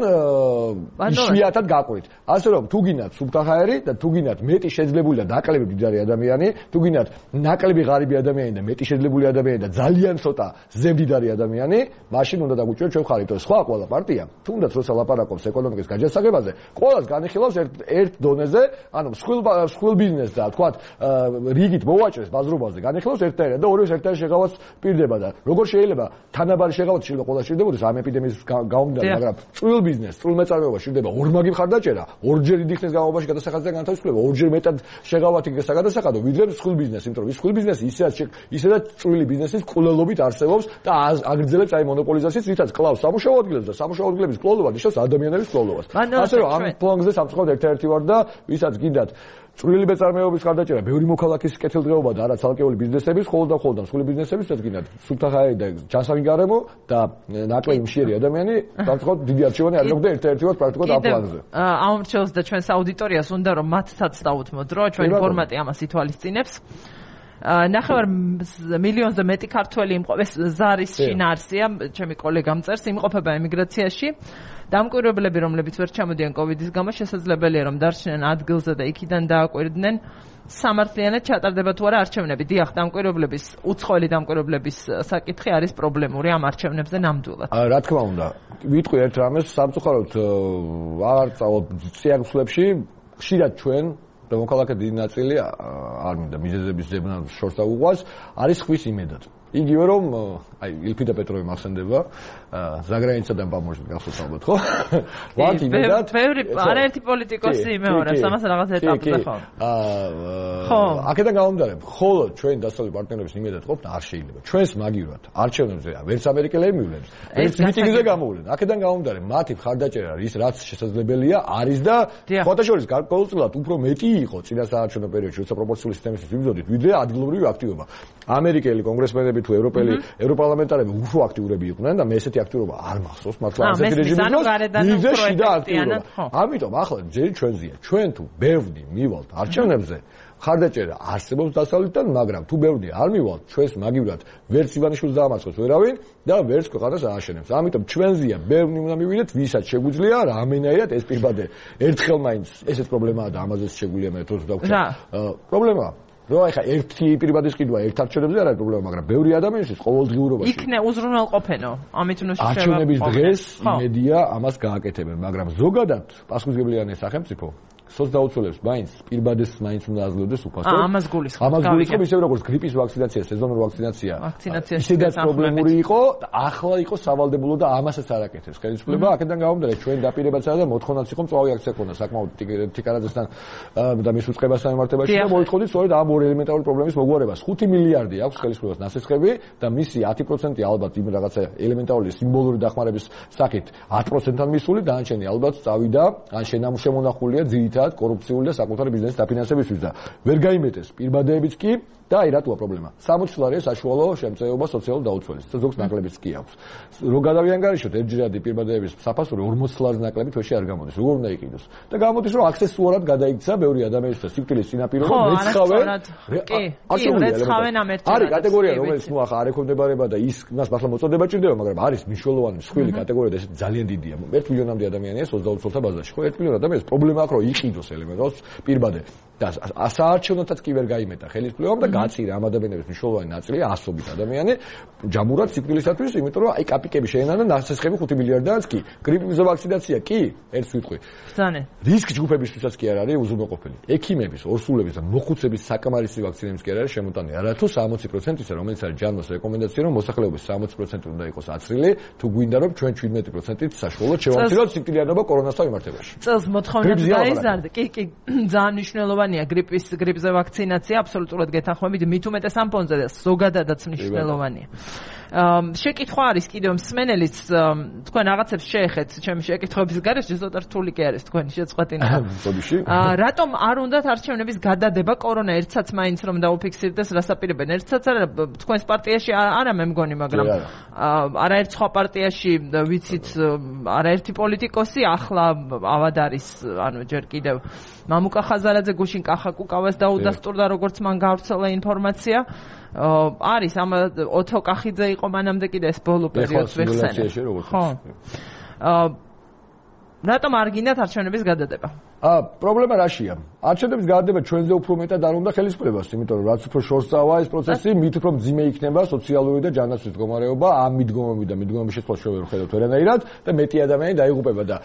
[SPEAKER 5] იშვიათად გაყვით. ასე რომ თუ გინდათ სუბთაჰაერი და თუ გინდათ მეტი შეძლებული და ნაკლები მდიდარი ადამიანი, თუ გინდათ ნაკლები ღარიბი ადამიანი და მეტი შეძლებული ადამიანი და ძალიან ცოტა ზემდიდარი ადამიანი, მაშინ უნდა დაგუჭიროთ ჩვენ ხარით. სხვა ყველა პარტია, თუნდაც როცა ლაპარაკობს ეკონომიკის გაჯასაგებაზე, ყველას განიხილავს ერთ ერთ დონეზე, ანუ მსხვილ მსხვილ ბიზნესს და თქვათ რიგით მოვაჭრეს ბაზრობაზე, განიხილავს ერთადერთად და ორივეს ერთად შეღავაც პირდება და როგორ შეიძლება თანაბარი შეღავაც შეიძლება ყველა შეიძლება ამ ეპიდემიის გამომდინარე, მაგრამ წვრილ ბიზნესს, წვრილ მეწარმეობას შეიძლება ორმაგი მხარდაჭერა, ორჯერ დიდი ხნის განმავლობაში გადასახადიდან განთავისუფლება, ორჯერ მეტად შეღავათი გადასახადო, ვიდრე მსხვილ ბიზნესს, იმიტომ რომ ის მსხვილ ბიზნესი ისედაც ისედაც წვრილი ბიზნესის კვლელობით არსებობს და აგრძელებს აი მონოპოლიზაციას, რითაც კლავს სამუშაო ადგილებს და სამუშაო ადგილების კვლელობა ნიშნავს ადამიანების კვლელობას. ასე რომ ამ პლანზე სამწუხაროდ ერთ-ერთი ვარ და ვისაც გინდათ წვრილი მეწარმეობის ხარდაჭერა, ბევრი მოქალაქის კეთილდღეობა და არა ცალკეული ბიზნესების, ხოლმე და ხოლმე მსხვილი ბიზნესების, რაც გინდათ სუბთაჰაერი და ჯანსაღი გარემო და ნაკლები მშიერი ადამიანი, სამწუხაროდ დიდი არჩევანი არ მოხდა ერთ-ერთი ვარ პრაქტიკულად ამ პლანზე.
[SPEAKER 1] ამ რჩევს და ჩვენს აუდიტორიას უნდა რომ მათსაც დაუთმოთ, რომ ჩვენი ფორმატი ამას ითვალისწინებს. ნახევარ მილიონზე მეტი ქართველი იმყოფება, ზარის შინაარსია, ჩემი კოლეგამ წერს, იმყოფება ემიგრაციაში. დამკვირვებლები, რომლებიც ვერ ჩამოდიან კოვიდის გამო, შესაძლებელია რომ დარჩნენ ადგილზე და იქიდან დააკვირდნენ სამართლიანად ჩატარდება თუ არა არჩევნები. დიახ, დამკვირვებლების, უცხოელი დამკვირვებლების საკითხი არის პრობლემური ამ არჩევნებზე ნამდვილად.
[SPEAKER 5] რა თქმა უნდა, ვიტყვი ერთ რამეს, სამწუხაროდ აღარ წავალ სიახლეებში, ხშირად ჩვენ და მოქალაქე დიდი ნაწილი არ მინდა მიზეზების ზებნა შორს დაუყვას, არის ხვის იმედად. იგივე რომ აი ილფიდა პეტროვი მახსენდება ზაგრანიცადან პამოჟს გახსოვთ ალბათ ხო? ვართ იმედად
[SPEAKER 1] ბევრი არაერთი პოლიტიკოსი იმეორებს ამას რაღაც ეტაპზე ხო?
[SPEAKER 5] აა აქედან გამომდინარე მხოლოდ ჩვენ დასავლელი პარტნიორების იმედად ყოფნა არ შეიძლება. ჩვენს მაგივრად არჩევნებზე ვერც ამერიკელები მივლენ, ვერც მიტინგზე გამოვლენ. აქედან გამომდინარე მათი მხარდაჭერა ის რაც შესაძლებელია არის და ფოტოშორის გარკვეულწილად უფრო მეტი იყო წინა საარჩევნო პერიოდში, როცა პროპორციული სისტემის ვიბრძოდით, ვიდრე ადგილობრივი აქტივობა. ამერიკელი კონგრესმენები თუ ევროპელი ევროპარლამენტარები უფრო აქტიურები იყვნენ და მე ესეთი აქტიურობა არ მახსოვს მართლა ასეთი რეჟიმის დროს შიდა აქტიურობა. ამიტომ ახლა ჯერ ჩვენზეა. ჩვენ თუ ბევრი მივალთ არჩევნებზე ხარდაჭერა არსებობს დასავლეთიდან, მაგრამ თუ ბევრი არ მივალთ, ჩვენს მაგივრად ვერც ივანიშვილს დაამარცხოს ვერავინ და ვერც ქვეყანას ააშენებს. ამიტომ ჩვენზეა ბევრი უნდა მივიდეთ, ვისაც შეგვიძლია რამენაირად ეს პირბადე ერთხელ მაინც ესეთ პრობლემაა და ამაზეც შეგვიძლია მე თვითონ დავქვა. პრობლემაა რო ახლა ერთი პირბადის ყიდვა ერთ არჩევნებზე არ არის პრობლემა, მაგრამ ბევრი ადამიანისთვის ყოველდღიურობაში
[SPEAKER 1] იქნე უზრუნველყოფენო, ამით უნდა შეშება.
[SPEAKER 5] არჩევნების დღეს იმედია ამას გააკეთებენ, მაგრამ ზოგადად პასუხისმგებლიანი სახელმწიფო სოც დაუცველებს მაინც პირბადეს მაინც უნდა აძლევდეს უფასოდ.
[SPEAKER 1] ამას გულისხმობ.
[SPEAKER 5] ამას გულისხმობ ისე როგორც გრიპის ვაქცინაცია, სეზონური ვაქცინაცია.
[SPEAKER 1] ვაქცინაციაში
[SPEAKER 5] ისედაც პრობლემური იყო და ახლა იყო სავალდებულო და ამასაც არ აკეთებს ხელისუფლება. აქედან გამომდინარე ჩვენ დაპირებაც არა და მოთხოვნაც იყო მწვავე აქცია ქონდა საკმაოდ თიკარაძესთან და მის უწყებასთან მიმართებაში და მოითხოვდით სწორედ ამ ორი ელემენტარული პრობლემის მოგვარებას. ხუთი მილიარდი აქვს ხელისუფლებას ნასესხები და მისი ათი პროცენტი ალბათ იმ რაღაცა ელემენტარული სიმბოლური დახმარების საკით ათი პროცენტთან მისული, დანარჩენი ალბათ წავიდა ან შემონახულია ძირითადად კორუფციული და საკუთარი ბიზნესის დაფინანსებისთვის და ვერ გაიმეტეს პირბადეებიც კი და აი რატოა პრობლემა. სამოცი ლარია საშუალო შემწეობა სოციალურ დაუცველს და ზოგს ნაკლებიც კი აქვს. რო გადავიანგარიშოთ ერთჯერადი პირბადეების საფასური ორმოცი ლარის ნაკლები თვეში არ გამოდის. როგორ უნდა იყიდოს? და გამოდის რომ აქსესუარად გადაიქცა ბევრი ადამიანისთვის სიკვდილის წინაპირობა მეცხოვენ.
[SPEAKER 1] კი, კი, მეცხოვენ ამ ერთად.
[SPEAKER 5] არის კატეგორია რომელიც ნუ ახლა არ ექვემდებარება და ის მას მართლა მოწოდება ჭირდება, მაგრამ არის მნიშვნელოვანი მსხვილი კატეგორია და ესეთი ძალიან დიდია. ერთ მილიონამდე ადამიანია სოცდაუცველთა ბაზაში. ხო ერთ მილიონ ადამიანს პრობლემა აქვს რომ იყიდოს ელემენტარულ პირბადე და საარჩევნოთაც კი ვერ გაიმეტა ხელისუფლებამ და გაწირა ამ ადამიანების მნიშვნელოვანი ნაწილი ასობით ადამიანი ჯამურად სიკვდილისათვის, იმიტომ რომ აი კაპიკები შეენან და ნასესხები ხუთი მილიარდიანიც კი. გრიპის ვაქცინაცია კი, ერთს ვიტყვი.
[SPEAKER 1] ბრძანე.
[SPEAKER 5] რისკ ჯგუფებისთვისაც კი არ არის უზრუნველყოფელი. ექიმების, ორსულების და მოხუცების საკამარისი ვაქცინების კი არ არის შემოტანილი. არათუ სამოცი პროცენტისა, რომელიც არის ჯანმოს რეკომენდაცია, რომ მოსახლეობის სამოცი პროცენტი უნდა იყოს აცრილი, თუ გვინდა რომ ჩვენ შვიდმეტი პროცენტით საშუალოდ შევამციროთ სიკვდილიანობა კორონასთან მიმართებაში.
[SPEAKER 1] წელს მოთხოვნები დაიზარდა. კი, კი, ძალიან მნიშვნელოვანია გრიპის გრიპზე ვაქცინაცია, აბსოლუტურად გეთანხმებით, მით უმეტეს ამ ფონზე ზოგადადაც მნიშვნელოვანია. შეკითხვა არის კიდევ მსმენელის თქვენ რაღაცებს შეეხეთ ჩემი შეკითხვების გარეშე ზოთა რთული კი არის თქვენი შეწყვეტინა. რატომ არ უნდათ არჩევნების გადადება კორონა ერთსაც მაინც რომ დაუფიქსირდეს რასაპირებენ ერთსაც არა თქვენს პარტიაში არა მე მგონი მაგრამ არაერთ სხვა პარტიაში ვიცით არაერთი პოლიტიკოსი ახლა ავად არის ანუ ჯერ კიდევ მამუკა ხაზარაძე გუშინ კახა კუკავას დაუდასტურდა როგორც მან გავრცელა ინფორმაცია არის ამ ოთო კახიძე იყო მანამდე კიდე ეს ბოლო პერიოდს ვეხსენე. ხო. რატომ არ გინდათ არჩევნების გადადება?
[SPEAKER 5] აა პრობლემა რაშია? არჩევნების გადადება ჩვენზე უფრო მეტად არ უნდა ხელისუფლებას, იმიტომ რომ რაც უფრო შორს წავა ეს პროცესი, მით უფრო მძიმე იქნება სოციალური და ჯანმრთელობის მდგომარეობა, ამ მიდგომები და მიდგომების შეცვლა შევერ ხედავთ ვერანაირად და მეტი ადამიანი დაიღუპება და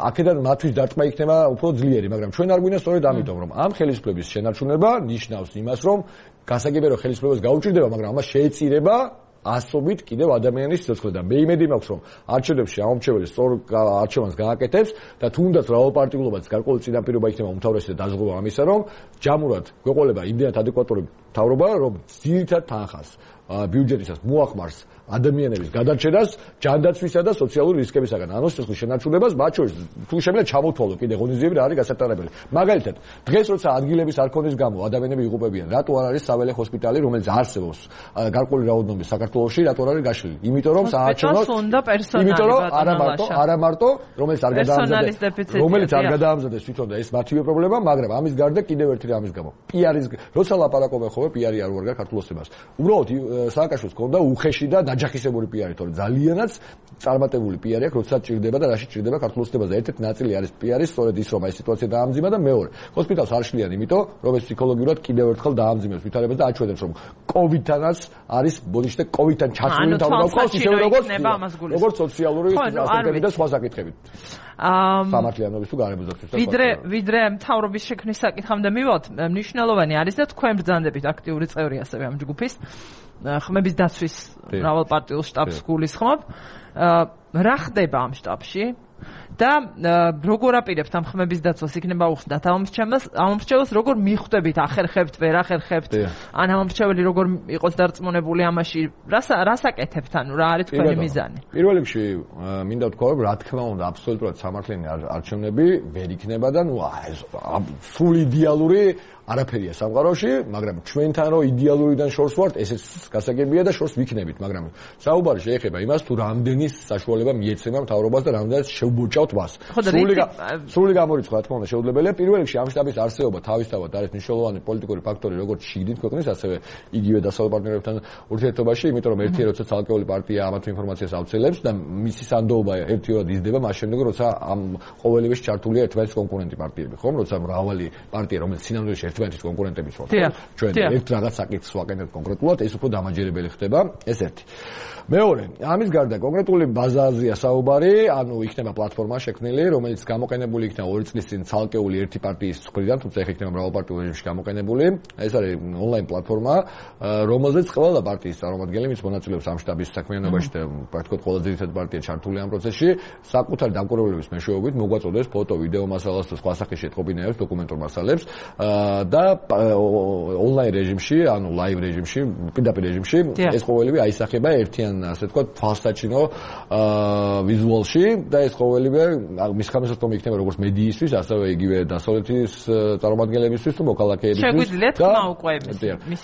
[SPEAKER 5] აქედან მათთვის დარტყმა იქნება უფრო ძლიერი, მაგრამ ჩვენ არ გვინდა სწორედ ამიტომ, რომ ამ ხელისუფლების შენარჩუნება ნიშნავს იმას, რომ გასაგებია რომ ხელისუფლებას გაუჭირდება, მაგრამ ამას შეეწირება ასობით კიდევ ადამიანის სიცოცხლე და მე იმედი მაქვს რომ არჩევნებში ამომრჩეველი სწორ არჩევანს გააკეთებს და თუნდაც რაოდენობრივად გარკვეული წინაპირობა იქნება უმთავრესი და დაზღვევა ამისა რომ ჯამურად გვეყოლება იმდენად ადეკვატური მთავრობა რომ ძირითად თანხას ბიუჯეტისას მოახმარს ადამიანების გადარჩენას, ჯანდაცვისა და სოციალური რისკებისაგან. ანუ სიცოცხლის შენარჩუნებას, მათ შორის თუ შემიძლია ჩამოთვალო კიდე ღონისძიები რა არის გასატარებელი. მაგალითად, დღეს როცა ადგილების არ ქონის გამო ადამიანები იღუპებიან, რატო არ არის საველე ჰოსპიტალი, რომელიც არსებობს გარკვეული რაოდენობის საქართველოში, რატო არ არის გაშლილი? იმიტომ რომ საარჩევნო იმიტომ რომ არა მარტო, არა მარტო, რომელიც არ გადაამზადეს, რომელიც არ გადაამზადეს თვითონ და ეს მათივე პრობლემა, მაგრამ ამის გარდა კიდევ ერთი რამის გამო. პიარის როცა ლაპარაკობენ ხოლმე პიარი არ უარგარ ქართულოსებას. უბრალოდ სააკაშვილს ჰქონდა უხეში და დაჯახისებური პიარი, თორე ძალიანაც წარმატებული პიარი აქვს, როცა ჭირდება და რაში ჭირდება ქართულოსებას და ერთ-ერთი ნაწილი არის პიარი, სწორედ ის რომ აი სიტუაცია დაამძიმა და მეორე. ჰოსპიტალს არ შლიან, იმიტომ რომ ეს ფსიქოლოგიურად კიდევ ერთხელ დაამძიმებს ვითარებას და აჩვენებს რომ კოვიდთანაც არის ბოდიშტე კოვიდთან ჩასული თავი და ისე როგორც როგორც სოციალური ასპექტები და სხვა საკითხები. სამართლიანობის თუ გარემოს დაცვის.
[SPEAKER 1] ვიდრე ვიდრე მთავრობის შექმნის საკითხამდე მივალთ, მნიშვნელოვანი არის და თქვენ ბრძანდებით აქ აქტიური წევრი ასევე ამ ჯგუფის. ხმების დაცვის მრავალპარტიულ შტაბს გულისხმობ. რა ხდება ამ შტაბში? და როგორ აპირებთ ამ ხმების დაცვას იქნება უხსნათ ამომრჩეველს ამომრჩეველს როგორ მიხვდებით ახერხებთ ვერ ახერხებთ ან ამომრჩეველი როგორ იყოს დარწმუნებული ამაში რას რას აკეთებთ ანუ რა არის თქვენი მიზანი
[SPEAKER 5] პირველ რიგში მინდა ვთქვა რომ რა თქმა უნდა აბსოლუტურად სამართლიანი არჩევნები ვერ იქნება და ნუ სულ იდეალური არაფერია სამყაროში, მაგრამ ჩვენთან რო იდეალურიდან შორს ვართ, ესეც გასაგებია და შორს ვიქნებით, მაგრამ საუბარი შეეხება იმას, თუ რამდენი საშუალება მიეცემა მთავრობას და რამდენად შევბოჭავთ მას. სრული სრული გამორიცხვა, რა თქმა უნდა, შეუძლებელია. პირველ რიგში ამ შტაბის არსებობა თავისთავად არის მნიშვნელოვანი პოლიტიკური ფაქტორი, როგორც შიგნით ქვეყნის, ასევე იგივე დასავლელ პარტნიორებთან ურთიერთობაში, იმიტომ რომ ერთი როცა ცალკეული პარტია ამათ ინფორმაციას ავცელებს და მისი სანდოობა ერთიურად იზრდება, მას შემდეგ როცა ამ ყოველივეში ჩართულია ერთმანეთის კონკურენტი პარტიები, ხომ? როცა მრავალი პარტია, რომელიც სინამდვილეში ერთმანეთის კონკურენტები ვართ. ჩვენ ერთ რაღაც საკითხს ვაკეთებთ კონკრეტულად, ეს უფრო დამაჯერებელი ხდება, ეს ერთი. მეორე, ამის გარდა კონკრეტული ბაზაზია საუბარი, ანუ იქნება პლატფორმა შექმნილი, რომელიც გამოყენებული იქნება ორი წლის წინ ცალკეული ერთი პარტიის მხრიდან, თუმცა ეხლა იქნება მრავალპარტიულ რეჟიმში გამოყენებული. ეს არის ონლაინ პლატფორმა, რომელზეც ყველა პარტიის წარმომადგენელი, ვინც მონაწილეობს ამ შტაბის საქმიანობაში და პრაქტიკულად ყველა ძირითადი პარტია ჩართული ამ პროცესში, საკუთარი დამკვირვებლების მეშვეობით მოგვაწოდებს ფოტო, ვიდეო მასალას და სხვა სახის შეტყობინებებს, დოკუმენტურ მასალებს და ონლაინ რეჟიმში, ანუ ლაივ რეჟიმში, პირდაპირ რეჟიმში ეს ყოველივე აისახება ერთიან ასე ვთქვათ, თვალსაჩინო ვიზუალში და ეს ყოველივე მის ხამისოთომ იქნება როგორც მედიისთვის, ასევე იგივე დასავლეთის წარმომადგენლებისთვის თუ მოქალაქეებისთვის.
[SPEAKER 1] შეგვიძლია თქმა უკვე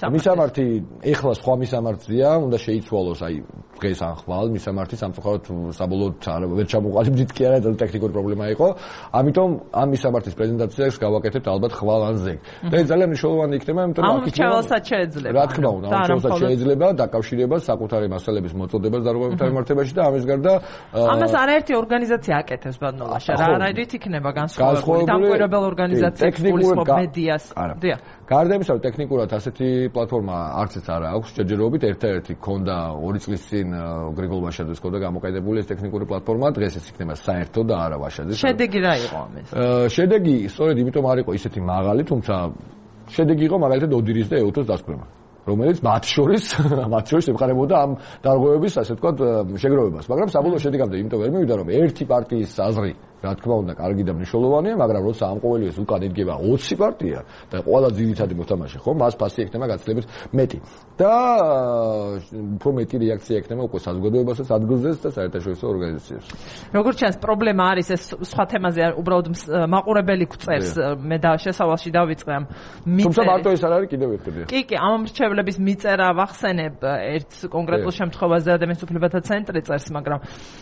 [SPEAKER 5] მისამართი ეხლა სხვა მისამართია, უნდა შეიცვალოს აი დღეს ან ხვალ მისამართი სამწუხაროდ საბოლოოდ ვერ ჩამოყალიბდით კი არა, ეს ტექნიკური პრობლემა იყო. ამიტომ ამ მისამართის პრეზენტაციას გავაკეთებთ ალბათ ხვალ ან ზეგ. და ეს ძალიან მნიშვნელოვანი იქნება, იმიტომ რომ
[SPEAKER 1] აქ ამრჩეველსაც შეეძლება.
[SPEAKER 5] რა თქმა უნდა, ამრჩეველსაც შეეძლება დაკავშირება საკუთარი მასალების მოწოდებას დარღვევებთან მიმართებაში და ამის გარდა
[SPEAKER 1] ამას არაერთი ორგანიზაცია აკეთებს ბადნოლაში. რა არაერთი იქნება განსხვავებული დამკვირვებელ ორგანიზაციებს გულისხმობ მედიას. დიახ.
[SPEAKER 5] გარდა იმისა, რომ ტექნიკურად ასეთი პლატფორმა არცეთ არ აქვს, ჯერჯერობით ერთ-ერთი ქონდა ორი წლის წინ გრიგოლ ვაშაძეს ქონდა გამოყენებული ეს ტექნიკური პლატფორმა, დღეს ეს იქნება საერთო და არა ვაშაძეს.
[SPEAKER 1] შედეგი რა იყო ამის?
[SPEAKER 5] შედეგი სწორედ იმიტომ არ იყო ისეთი მაღალი, თუმცა შედეგი იყო მაგალითად ოდირის და ეუთოს დასკვემა, რომელიც მათ შორის მათ შორის ემყარებოდა ამ დარღვევების, ასე ვთქვათ, შეგროვებას, მაგრამ საბოლოო შედეგამდე იმიტომ ვერ მივიდა, რომ ერთი პარტიის აზრი რა თქმა უნდა, კარგი და მნიშვნელოვანია, მაგრამ როცა ამ ყოველივეს უკან იდგება ოცი პარტია და ყველა ძირითადი მოთამაშე, ხო, მას ფასი ექნება გაცილებით მეტი. და უფრო მეტი რეაქცია ექნება უკვე საზოგადოებასაც, ადგილზეც და საერთაშორისო ორგანიზაციებს.
[SPEAKER 1] როგორც ჩანს, პრობლემა არის ეს სხვა თემაზე, უბრალოდ მაყურებელი გვწერს, მე და შესავალში დავიწყე ამ
[SPEAKER 5] მიწერ. თუმცა მარტო ეს არ არის კიდევ ერთი.
[SPEAKER 1] კი, კი, ამ მრჩევლების მიწერა ვახსენებ ერთ კონკრეტულ შემთხვევაზე ადამიანის უფლებათა ცენტრი წერს, მაგრამ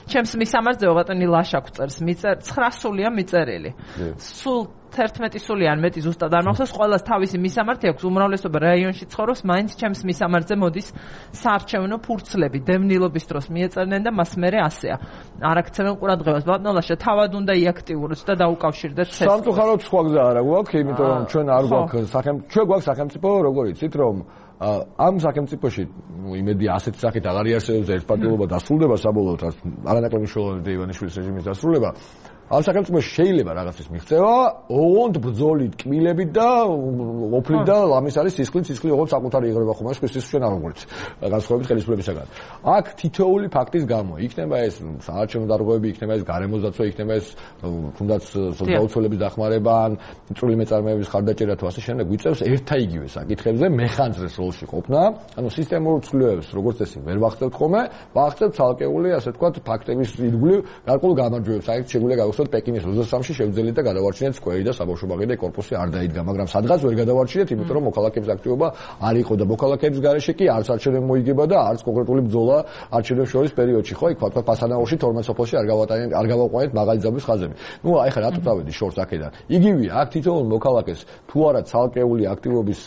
[SPEAKER 1] ჩემს მისამართზე ბატონი ლაშა გვწერს მიწერ ცხრა სულია მიწერილი. სულ თერთმეტი სული ან მეტი ზუსტად არ მახსოვს, ყველას თავისი მისამართი აქვს, უმრავლესობა რაიონში ცხოვრობს, მაინც ჩემს მისამართზე მოდის საარჩევნო ფურცლები, დევნილობის დროს მიეწერნენ და მას მერე ასეა. არ აქცევენ ყურადღებას. ბატონოლაშა თავად უნდა იაქტიუროთ და დაუკავშირდეთ ცეცხლს.
[SPEAKER 5] სამწუხაროდ სხვა გზა არა გვაქვს, იმიტომ რომ ჩვენ არ გვაქვს სახელმწიფო, ჩვენ გვაქვს სახელმწიფო, როგორ იცით, რომ ამ სახელმწიფოში იმედი ასეთი სახით აღარ იარსებობს და ერთპარტიულობა დასრულდება საბოლოოდ, არანაკლები მნიშვნელოვანია ივანიშვილის რეჟიმის დასრულება. ამ სახელმწიფოში შეიძლება რაღაცის მიღწევა, ოღონდ ბრძოლით, კმილებით და ოფლით და ამის არის სისხლით, სისხლი ოღონდ საკუთარი იღრება ხომ, ეს ის ჩვენ არ ვღვრით განსხვავებით ხელისუფლებისაგან. აქ თითოეული ფაქტის გამო იქნება ეს საარჩევნო დარღვევები, იქნება ეს გარემოს დაცვა, იქნება ეს თუნდაც სოციალურების დახმარება, წვრილი მეწარმეების ხარდაჭერა თუ ასე შემდეგ გვიწევს ერთა იგივე საკითხებზე მეხანძრეს როლში ყოფნა, ანუ სისტემურ ცვლილებებს როგორც წესი ვერ ვახცევთ ხოლმე, ვახცევთ ცალკეული ასე ვთქვათ ფაქტების ირგვლივ გარკვეულ გამარჯვებებს, აი შეგვიძლია გავხსნათ პეკინის ოცდასამში შევძელით და გადავარჩინეთ სკვერი და საბავშვო ბაღი და კორპუსი არ დაიდგა, მაგრამ სადღაც ვერ გადავარჩინეთ, იმიტომ რომ მოქალაქეების აქტივობა არ იყო და მოქალაქეების გარეშე კი არც არჩევნები მოიგება და არც კონკრეტული ბრძოლა არჩევნებს შორის პერიოდში, ხო, იქ თქვა პასანაურში თორმეტ სოფელში არ გავატანეთ, არ გავაყვანეთ მაღალი ძაბვის ხაზები. ნუ აი ხა რატო წავედი შორს აქედან. იგივეა, აქ თითოეულ მოქალაქეს თუ არა ცალკეული აქტივობის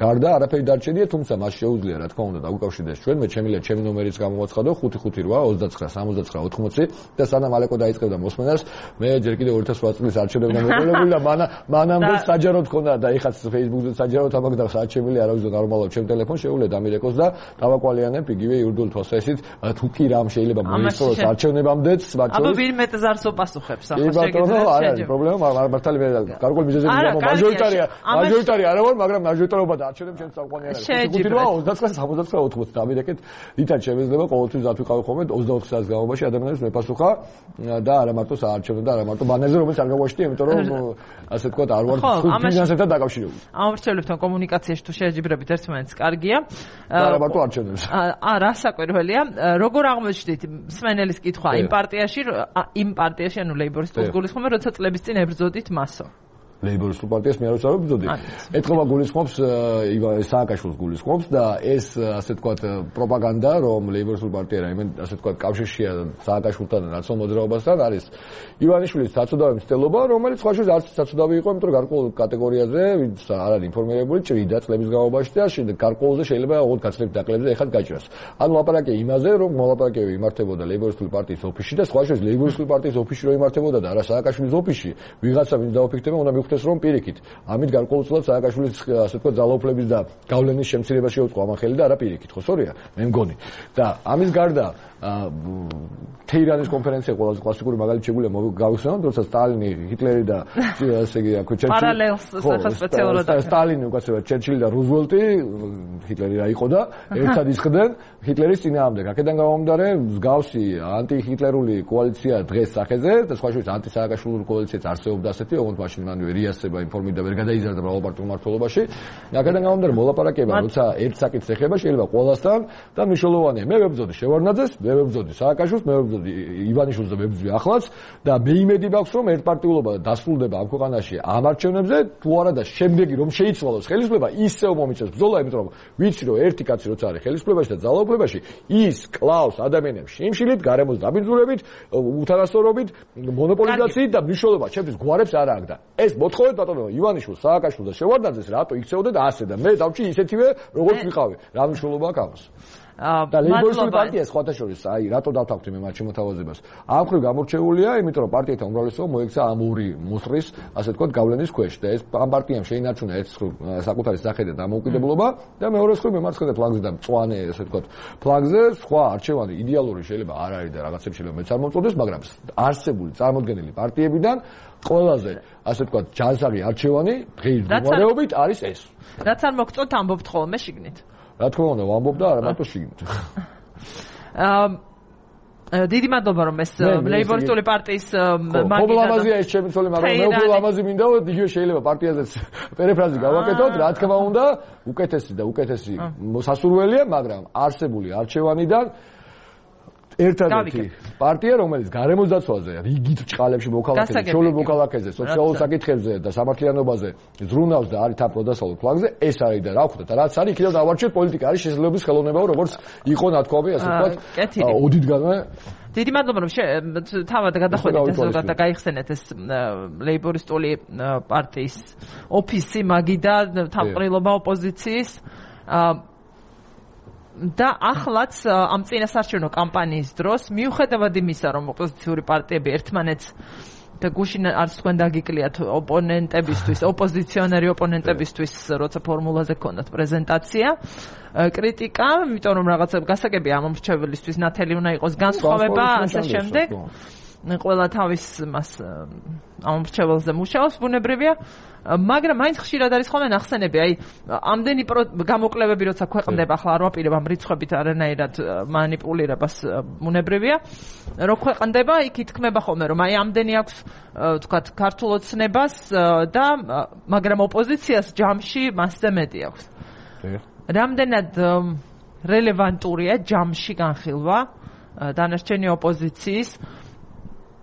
[SPEAKER 5] გარდა არაფერი დარჩენია, თუმცა მას შეუძლია რა თქმა უნდა დაუკავშირდეს ჩვენ, მე ჩემი ჩემი ნომერიც გამოვაცხადო ხუთი ხუთი რვა ოცდაცხრა სამოცდაცხრა ოთხმოცი და სანამ ალეკო დაიწყებდა მოსმენა ამას მე ჯერ კიდევ ორი ათას ოთხ წლის არჩევნებიდან მიყოლებული და მანა მანამდე საჯაროდ ხონდა და ეხაც Facebook-ზე საჯაროდ ამაგ და საჩემილი არავის და ნორმალურად ჩემ ტელეფონს შეუძლია დამირეკოს და დავაკვალიანებ იგივე იურიდიულ თვალსაზრისით თუ კი რამ შეიძლება მოიწოს არჩევნებამდეც მათ
[SPEAKER 1] აბა ვინმე ზარს უპასუხებს ახლა
[SPEAKER 5] შეგიძლია არა არის პრობლემა მართალი მე გარკვეული მიზეზები მაჟორიტარია მაჟორიტარი არა ვარ მაგრამ მაჟორიტარობა და არჩევნებს ჩემს წამყვანი არის ხუთი ოცდათხმეტ ოცდათხმეტ ოცდაოთხმეტ დამირეკეთ ვითარ შემეძლება ყოველთვის დათვიყავი ხოლმე ოცდაოთხ საათის განმავლობაში ადამიანებს მეპასუხა და არა მარტო საარჩევნო და არა მარტო ბანერზე რომელიც არ გავაშთი იმიტომ რომ ასე თქვა არ ვარ ფინანსებთან დაკავშირებული
[SPEAKER 1] ამორჩევლებთან კომუნიკაციაში თუ შეჯიბრებით ერთმანეთს კარგია
[SPEAKER 5] არა მარტო არჩევნებს
[SPEAKER 1] არა საკურველია როგორ აღმოჩნდით სმენელის კითხვა იმ პარტიაში იმ პარტიაში ანუ ლეიბორისტულ გულისხმობ როცა წლების წინ ებრძოდით მასო
[SPEAKER 5] ლეიბორისტულ პარტიას მე არ ვსწავლობდი. ეთქობა გულისხმობს ივანე სააკაშვილის გულისხმობს და ეს ასე თქვა პროპაგანდა რომ ლეიბორისტულ პარტია რაიმე ასე თქვა კავშირშია სააკაშვილთან რაცო მოძრაობასთან არის ივანიშვილის საცოდავი მცდელობა რომელიც სხვა შორის არც საცოდავი იყო იმიტომ რომ გარკვეულ კატეგორიაზე ვინც არ არის ინფორმირებული ჭრიდა წლების განმავლობაში და შემდეგ გარკვეულზე შეიძლება ოღონდ გაცილებით დაკლებზე ეხად გაჭრას. ანუ ლაპარაკია იმაზე რომ მოლაპარაკებები იმართებოდა ლეიბორისტული პარტიის ოფისში და სხვა შორის ლეიბორისტული პარტიის ოფისში რომ იმართებოდა და არა სააკაშვილის ოფისში ვიღაცა ვინც დაუფიქრდება უნდა ეს რომ პირიქით. ამით გარკვეულწილად სააკაშვილის ასე თქვა ძალაუფლების და გავლენის შემცირება შეუწყო ამან ხელი და არა პირიქით, ხო სწორია? მე მგონი. და ამის გარდა თეირანის კონფერენცია ყველაზე კლასიკური მაგალითი შეგვიძლია გავიხსენოთ, როცა სტალინი, ჰიტლერი და ასე იგი აქ ჩერჩილი
[SPEAKER 1] პარალელს სახა სპეციალურად
[SPEAKER 5] სტალინი უკაცრავად ჩერჩილი და რუზველტი ჰიტლერი რა იყო და ერთად ისხდნენ ჰიტლერის წინააღმდეგ. აქედან გამომდინარე მსგავსი ანტიჰიტლერული კოალიცია დღეს სახეზე და სხვა შორის ანტისააკაშვილური კოალიციაც არსებობდა ასეთი, ოღონდ მაშინ მანვე რიასება ინფორმირდა ვერ გადაიზარდა მრავალპარტიულ მმართველობაში. აქედან გამომდინარე მოლაპარაკება, როცა ერთ საკითხს ეხება, შეიძლება ყველასთან და მნიშვნელოვანია. მე ვებრძოდი შევარდნაძეს, მე ვებრძოდი სააკაშვილს, მე ვებრძოდი ივანიშვილს და ვებრძვი ახლაც და მე იმედი მაქვს რომ ერთპარტიულობა დასრულდება ამ ქვეყანაში ამ არჩევნებზე, თუ არა და შემდეგი რომ შეიცვალოს ხელისუფლება, ისევ მომიწევს ბრძოლა, იმიტომ რომ ვიცი რომ ერთი კაცი როცა არის ხელისუფლებაში და ძალაუფლებაში, ის კლავს ადამიანებს შიმშილით, გარემოს დაბინძურებით, უთანასწორობით, მონოპოლიზაციით და მნიშვნელობა ჩემთვის გვარებს არ აქვს და ეს მოთხოვეთ ბატონო ივანიშვილს, სააკაშვილს და შევარდნაძეს რატო იქცეოდეთ ასე და მე დავჭი ისეთივე როგორც ვიყავი. რა მნიშვნელობა აქვს ამას? და ლეიბორისტული პარტია სხვათა შორის აი რატო დავთანხმდი მე მათ შემოთავაზებას ამ ხრივ გამორჩეულია იმიტომ რომ პარტიათა უმრავლესობა მოექცა ამ ორი მუსტრის ასე თქვა გავლენის ქვეშ და ეს ამ პარტიამ შეინარჩუნა ერთ ხრივ საკუთარი სახე და დამოუკიდებლობა და მეორე ხრივ მემარცხენე ფლანგზე და მწვანე ასე თქვა ფლანგზე სხვა არჩევანი იდეალური შეიძლება არ არის და რაღაცებს შეიძლება მეც არ მომწონდეს მაგრამ არსებული წარმოდგენილი პარტიებიდან ყველაზე ასე თქვა ჯანსაღი არჩევანი დღის მდგომარეობით არის ეს
[SPEAKER 1] რაც არ მოგწონთ ამბობთ ხოლმე შიგნით
[SPEAKER 5] რა თქმა უნდა ვამბობ და არა მარტო შიგნით.
[SPEAKER 1] აა დიდი მადლობა რომ ეს ლეიბორისტული პარტიის
[SPEAKER 5] მაგიდა ხო ლამაზია ეს ჩემი ცოლი მაგრამ მე უფრო ლამაზი მინდა იგივე შეიძლება პარტიაზეც პერიფრაზი გავაკეთოთ რა თქმა უნდა უკეთესი და უკეთესი სასურველია მაგრამ არსებული არჩევანიდან ერთადერთი პარტია რომელიც გარემოს დაცვაზე რიგით ჭყალებში მოქალაქეზე, ჩვეულებრივ მოქალაქეზე, სოციალურ საკითხებზე და სამართლიანობაზე ზრუნავს და არის თან პროდასალურ ფლანგზე, ეს არის და რა ვქოთ და რაც არის იქიდან დავარჩიეთ პოლიტიკა არის შესაძლებლობის ხელოვნებაო როგორც იყო ნათქვამი ასე ვთქვათ ოდითგანვე
[SPEAKER 1] დიდი მადლობა რომ თავად გადახვედით ეს ზოგადად და გაიხსენეთ ეს ლეიბორისტული პარტიის ოფისი მაგიდა თავყრილობა ოპოზიციის და ახლაც ამ წინასარჩევნო კამპანიის დროს მიუხედავად იმისა რომ ოპოზიციური პარტიები ერთმანეთს და გუშინ არც თქვენ დაგიკლიათ ოპონენტებისთვის ოპოზიციონერი ოპონენტებისთვის როცა ფორმულაზე ქონდათ პრეზენტაცია კრიტიკა იმიტომ რომ რაღაცა გასაგებია ამ მომრჩეველისთვის ნათელი უნდა იყოს განსხვავება ასე შემდეგ ყველა თავის მას ამ მომრჩეველზე მუშაობს ბუნებრივია მაგრამ მაინც ხშირად არის ხოლმე ნახსენები აი ამდენი გამოკლებები როცა ქვეყნდება ახლა არ ვაპირებ ამ რიცხვებით არანაირად მანიპულირებას ბუნებრივია რო ქვეყნდება იქ ითქმება ხოლმე რომ აი ამდენი აქვს თქვათ ქართულ ოცნებას და მაგრამ ოპოზიციას ჯამში მასზე მეტი აქვს რამდენად რელევანტურია ჯამში განხილვა დანარჩენი ოპოზიციის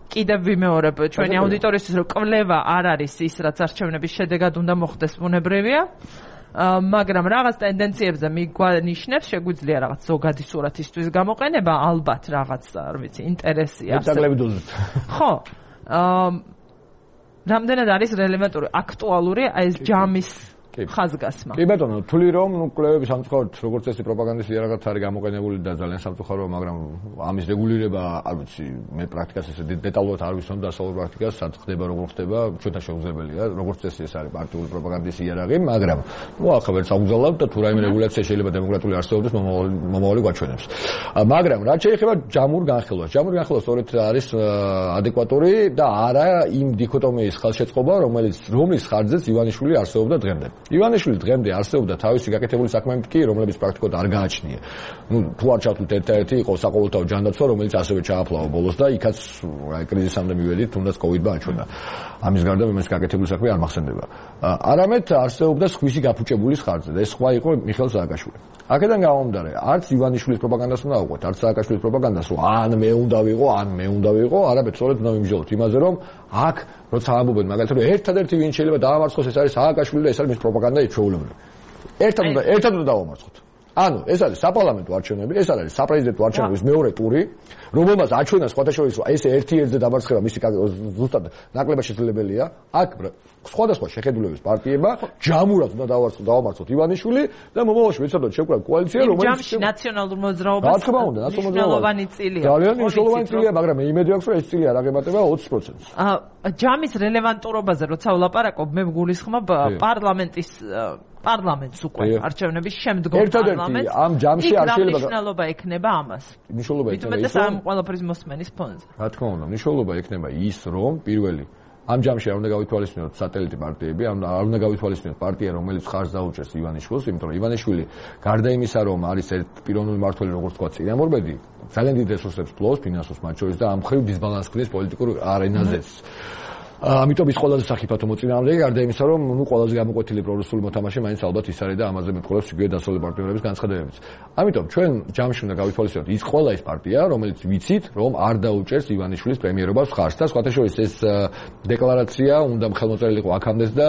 [SPEAKER 1] კიდევ ვიმეორებ ჩვენი აუდიტორიისთვის რომ კვლევა არ არის ის რაც არჩევნების შედეგად უნდა მოხდეს ბუნებრივია მაგრამ რაღაც ტენდენციებზე მიგვანიშნებს შეგვიძლია რაღაც ზოგადი სურათისთვის გამოყენება ალბათ რაღაც არ ვიცი ინტერესია ხო რამდენად არის რელევანტური აქტუალური ეს ჯამის ხაზგასმა.
[SPEAKER 5] კი ბატონო, თვლი რომ ნუ კვლევები სამწუხაროდ როგორც წესი პროპაგანდის იარაღად არის გამოყენებული და ძალიან სამწუხაროა, მაგრამ ამის რეგულირება, არ ვიცი, მე პრაქტიკას ესე დეტალურად არ ვიცნობ დასავლურ პრაქტიკას, სად ხდება, როგორ ხდება, ჩვენთან შეუძლებელია, როგორც წესი ეს არის პარტიული პროპაგანდის იარაღი, მაგრამ ნუ ახლა ვერც აუგზავნებ და თუ რაიმე რეგულაცია შეიძლება დემოკრატიული არსებობის მომავალი გვაჩვენებს. მაგრამ რაც შეეხება ჯამურ განხილვას, ჯამურ განხილვა სწორედ არის ადეკვატური და არა იმ დიქოტომიის ხელშეწყობა, რომელიც რომლის ხარჯზეც ივანიშვილი არსებობდა დღემდე. ივანიშვილი დღემდე არსებობდა თავისი გაკეთებული საქმეებით კი, რომლებიც პრაქტიკულად არ გააჩნია. ნუ თუ არ ჩავთვლით ერთ-ერთი იყო საყოველთაო ჯანდაცვა, რომელიც ასევე ჩააფლავა ბოლოს და იქაც აი კრიზისამდე მივედით, თუნდაც კოვიდმა აჩვენა. ამის გარდა მე გაკეთებული საქმე არ მახსენდება. არამედ არსებობდა სხვისი გაფუჭებულის ხარჯზე და ეს სხვა იყო მიხეილ სააკაშვილი. აქედან გამომდინარე, არც ივანიშვილის პროპაგანდას უნდა ავყვეთ, არც სააკაშვილის პროპაგანდას, რომ ან მე უნდა ვიყო, ან მე უნდა ვიყო, არამედ სწორედ უნდა ვიმსჯელოთ იმაზე, რომ აქ როცა ამბობენ მაგალითად, რომ ერთადერთი ვინ შეიძლება დაამარცხოს, ეს არის სააკაშვილი და ეს არის მის პროპაგანდა ჩვეულებრივი. ერთად უნდა ერთად უნდა დავამარცხოთ. ანუ ეს არის საპარლამენტო არჩევნები, ეს არის საპრეზიდენტო არჩევნების მეორე ტური, რომელმაც აჩვენა სხვათა შორის ეს ერთი ერთზე დამარცხება მისი ზუსტად ნაკლებად შესაძლებელია. აქ სხვადასხვა შეხედულების პარტიება ჯამურად უნდა დავამარცხოთ ივანიშვილი და მომავალში ვიცოდოთ შევკრათ კოალიცია, რომელიც
[SPEAKER 1] ჯამში ნაციონალურ მოძრაობას
[SPEAKER 5] რა თქმა უნდა,
[SPEAKER 1] მნიშვნელოვანი წილია.
[SPEAKER 5] ძალიან მნიშვნელოვანი წილია, მაგრამ მე იმედი აქვს, რომ ეს წილი არ აღემატება ოცი პროცენტს.
[SPEAKER 1] ჯამის რელევანტურობაზე როცა ვლაპარაკობ, მე გულისხმობ პარლამენტის პარლამენტს უკვე არჩევნების შემდგომ
[SPEAKER 5] პარლამენტს ამ ჯამში არ შეიძლება
[SPEAKER 1] მნიშვნელობა ექნება ამას.
[SPEAKER 5] მნიშვნელობა ექნება
[SPEAKER 1] ის რომ ყველაფრის მოსმენის ფონზე.
[SPEAKER 5] რა თქმა უნდა, მნიშვნელობა ექნება ის, რომ პირველი ამ ჯამში არ უნდა გავითვალისწინოთ სატელიტი პარტიები, არ უნდა გავითვალისწინოთ პარტია, რომელიც ხარჯს დაუჭერს ივანიშვილს, იმიტომ რომ ივანიშვილი გარდა იმისა, რომ არის ერთ პიროვნული მმართველი, როგორც თქვა, წინამორბედი, ძალიან დიდ რესურსებს ფლობს ფინანსურს მათ შორის და ამ ხრივ დისბალანსს ქმნის პოლიტიკურ არენაზეც. ამიტომ ის ყველაზე სახიფათო მოწინააღმდეგე, გარდა იმისა, რომ ნუ ყველაზე გამოკვეთილი პრორუსული მოთამაშე მაინც ალბათ ის არის და ამაზე მეტყოლებს იგივე დასავლელი პარტნიორების განცხადებებიც. ამიტომ ჩვენ ჯამში უნდა გავითვალისწინოთ ის ყველა ის პარტია, რომელიც ვიცით, რომ არ დაუჭერს ივანიშვილის პრემიერობას ხარჯს და სხვათა შორის ეს დეკლარაცია უნდა ხელმოწერილიყო აქამდეც და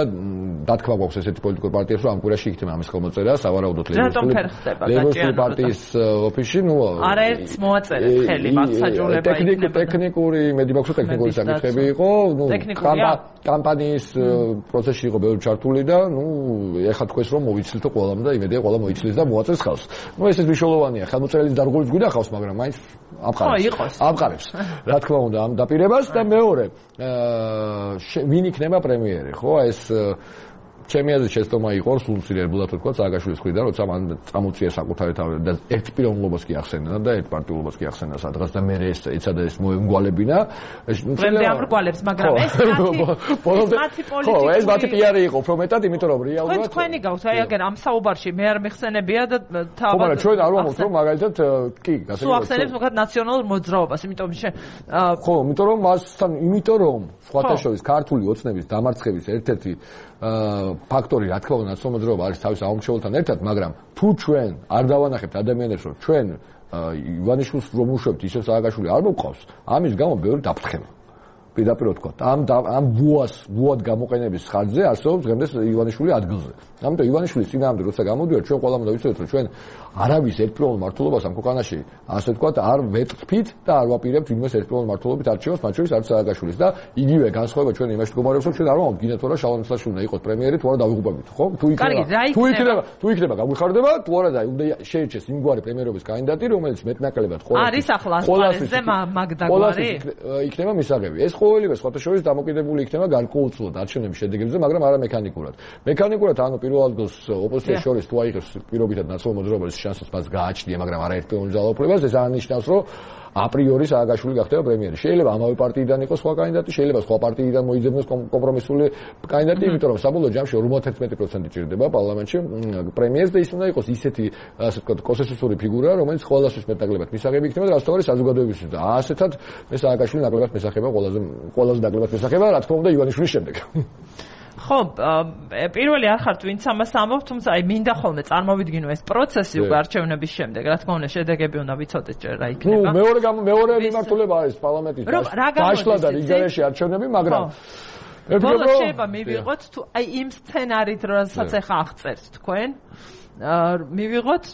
[SPEAKER 5] დათქმა გვაქვს ესეთი პოლიტიკურ პარტიებს, რომ ამ კვირაში იქნება ამის ხელმოწერა, სავარაუდოდ ლეიბორისტული პარტიის ოფისში, ნუ
[SPEAKER 1] არაერთს მოაწერეთ ხელი მათ საჯულება იქნება.
[SPEAKER 5] ტექნიკური, მედი მაქვს ტექნიკური საკითხები იყო, ნუ კამპანიის პროცესში იყო ბევრი ჩართული და ნუ ეხლა თქვენს რომ მოვიცილთო ყველამ და იმედია ყველა მოიცილეს და მოაწერს ხალხს. ნუ ეს ეს მნიშვნელოვანია, ხელმოწერილი დარგოლიც გვინახავს, მაგრამ მაინც ამყარებს. ამყარებს. რა თქმა უნდა ამ დაპირებას და მეორე ვინ იქნება პრემიერი, ხო? ეს ჩემი აზრით შეცდომა იყო სულ მცირეებულად თქვა სააკაშვილის მხრიდან, როცა მან წამოწია საკუთარი თავი და ერთ პიროვნულობას კი ახსენდა და ერთ პარტიულობას კი ახსენდა სადღაც და მე ეს ეცადა ეს მოემგვალებინა.
[SPEAKER 1] პრემიერ ამრგვალებს, მაგრამ ეს მათი პოლიტიკური
[SPEAKER 5] ხო, ეს მათი პიარი იყო უფრო მეტად, იმიტომ რომ რეალურად
[SPEAKER 1] თქვენი გაქვს, აი აგერ ამ საუბარში მე არ მეხსენებია და
[SPEAKER 5] თავად ხო, მაგრამ ჩვენ არ ვამბობთ რომ მაგალითად კი,
[SPEAKER 1] გასაგებია. სულ ახსენებს მოკლედ ნაციონალურ მოძრაობას, იმიტომ შე
[SPEAKER 5] ხო, იმიტომ რომ მასთან, იმიტომ რომ სხვათა შორის ქართული ოცნების დამარცხების ერთ-ერთი ფაქტორი რა თქმა უნდა ნაციონალურ მოძრაობა არის თავის აუმრჩეველთან ერთად, მაგრამ თუ ჩვენ არ დავანახებთ ადამიანებს, რომ ჩვენ ივანიშვილს რომ უშვებთ ისევ სააკაშვილი არ მოყავს, ამის გამო ბევრი დაფრთხება. პირდაპირ ვთქვა, ამ ამ ბუას, ბუად გამოყენების ხარჯზე არსებობს დღემდე ივანიშვილი ადგილზე. ამიტომ ივანიშვილის წინააღმდეგ როცა გამოდივარ, ჩვენ ყველამ უნდა ვიცოდეთ, რომ ჩვენ არავის ერთპიროვნულ მმართველობას ამ ქვეყანაში, ასე ვთქვათ, არ ვეტყფით და არ ვაპირებთ ვინმეს ერთპიროვნულ მმართველობით არჩევას, მათ შორის არც სააკაშვილის და იგივე განსხვავება ჩვენ იმაში მდგომარეობს, რომ ჩვენ არ ვამბობთ გინდათ რა შალვა ნისლაშვილი უნდა იყოს პრემიერი, თუ არა დავიღუპებით, ხო? თუ იქნება, თუ იქნება, თუ იქნება გაგვიხარდება, თუ არა და უნდა შეირჩეს იმგვარი პრემიერობის კანდიდატი, რომელიც მეტნაკლებად
[SPEAKER 1] ყველა არის ახლა ასპარეზზე მაგდაგვარი
[SPEAKER 5] იქნება მისაღები. ეს ყოველივე სხვათა შორის დამოკიდებული იქნება გარკვეულწილად არჩევნების შედეგებზე, მაგრამ არა მექანიკურად. მექანიკურად ანუ პირველ ადგილს ოპოზიციას შორის თუ აიღებს პირობითად ნაციონალურ მოძრაობას შანსს მას გააჩნია, მაგრამ არა ერთპიროვნულ ძალაუფლებას, ეს არნიშნავს, რომ აპრიორი სააკაშვილი გახდება პრემიერი. შეიძლება ამავე პარტიიდან იყოს სხვა კანდიდატი, შეიძლება სხვა პარტიიდან მოიძებნოს კომპრომისული კანდიდატი, იმიტომ რომ საბოლოო ჯამში ორმოცდაერთმეტი პროცენტი ჭირდება პარლამენტში პრემიერს და ის უნდა იყოს ისეთი, ასე ვთქვათ, კონსენსუსური ფიგურა, რომელიც ყველასთვის მეტნაკლებად მისაღები იქნება და რასთავარი საზოგადოებისთვის და ასეთად მე სააკაშვილი ნაკლებად მისაღება ყველაზე ყველაზე ნაკლებად მისაღება, რა თქმა უნდა ივანიშვილის შემდეგ.
[SPEAKER 1] ხო, პირველი არ ხართ ვინც ამას ამბობ, თუმცა აი მინდა ხოლმე წარმოვიდგინო ეს პროცესი უკვე არჩევნების შემდეგ, რა თქმა უნდა შედეგები უნდა ვიცოდეთ ჯერ რა იქნება.
[SPEAKER 5] ნუ მეორე მეორე მიმართულება არის პარლამენტის დაშლა და რიგარეში არჩევნები, მაგრამ
[SPEAKER 1] ბოლოს შეიძლება მივიღოთ თუ აი იმ სცენარით, რომელსაც ახლა აღწერთ თქვენ, მივიღოთ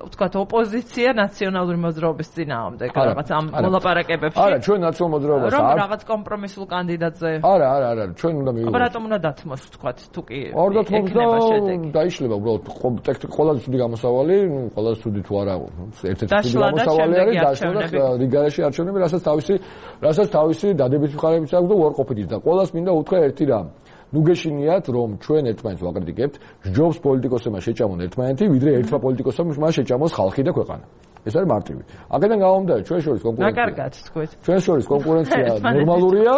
[SPEAKER 1] ვთქვათ ოპოზიცია ნაციონალური მოძრაობის წინააღმდეგ რაღაც ამ მოლაპარაკებებში.
[SPEAKER 5] არა, ჩვენ ნაციონალურ მოძრაობას
[SPEAKER 1] არ რომ რაღაც კომპრომისულ კანდიდატზე.
[SPEAKER 5] არა, არა, არა, ჩვენ უნდა მივიღოთ.
[SPEAKER 1] აბა რატომ უნდა დათმოს ვთქვათ თუ კი
[SPEAKER 5] არ დათმოს და დაიშლება უბრალოდ ტექნიკ ყველაზე ცუდი გამოსავალი, ყველაზე ცუდი თუ არა, ერთ-ერთი ცუდი გამოსავალი არის დაშლა და რიგარეში არჩევნები, რასაც თავისი რასაც თავისი დადებითი მხარეებიც აქვს და უარყოფითიც და ყველას მინდა უთხრა ერთი რამ. ნუ გეშინიათ რომ ჩვენ ერთმანეთს ვაკრიტიკებთ, ჯობს პოლიტიკოსებმა შეჭამონ ერთმანეთი, ვიდრე ერთმა პოლიტიკოსებმა შეჭამოს ხალხი და ქვეყანა. ეს არის მარტივი. აქედან გამომდინარე ჩვენ შორის კონკურენცია.
[SPEAKER 1] რა კარგად თქვით.
[SPEAKER 5] ჩვენ შორის კონკურენცია ნორმალურია.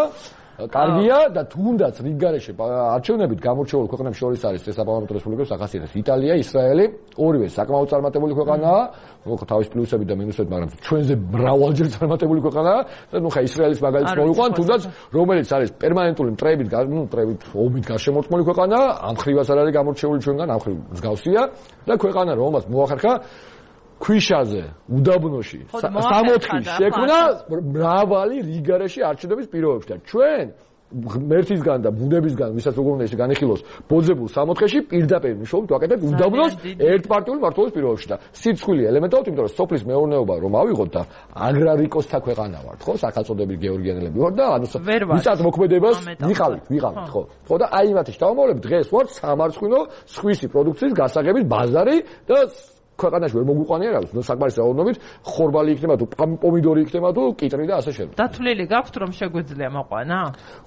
[SPEAKER 5] კარგია და თუნდაც რიგგარეში არჩევნებით გამორჩეული ქვეყნებს შორის არის ესაბამებო რესპუბლიკების ახასიათებს იტალია, ისრაელი, ორივე საკმაოდ წარმატებული ქვეყანაა, ნუ თავის პლუსები და მინუსები, მაგრამ ჩვენზე მრავალჯერ წარმატებული ქვეყანაა და ნუ ხა ისრაელის მაგალითს მოვიყვან, თუნდაც რომელიც არის პერმანენტული მტრებით, ნუ მტრებით ომით გარშემორტყმული ქვეყანაა, ამ ხრივაც არ არის გამორჩეული ჩვენგან, ამ ხრივ მსგავსია და ქვეყანა რომელსაც მოახერხა ქვიშაზე, უდაბნოში, სამოთხის შექმნა მრავალი რიგარეში არჩევნების პირობებში და ჩვენ მერთისგან და ბუნებისგან, ვისაც როგორ უნდა ისე განიხილოს, ბოძებულ სამოთხეში პირდაპირ მშობლით ვაკეთებთ უდაბნოს ერთპარტიული მმართველობის პირობებში და სიცხვილი ელემენტად, იმიტომ რომ სოფლის მეურნეობა რომ ავიღოთ და აგრარიკოსთა ქვეყანა ვართ, ხო, სახელწოდებით გეორგიანელები ვართ და ანუ ვისაც მოქმედებას ვიყავით, ვიყავით, ხო. ხო და აი მათი შთამომავლები დღეს ვართ სამარცხვინო სხვისი პროდუქციის გასაღებით ბაზარი და ქვეყანაში ვერ მოგვიყვანია რა, ნუ საკმარისი რაოდენობით ხორბალი იქნება თუ პომიდორი იქნება თუ კიტრი და ასე შემდეგ.
[SPEAKER 1] დათვლილი გაქვთ რომ შეგვიძლია მოყვანა?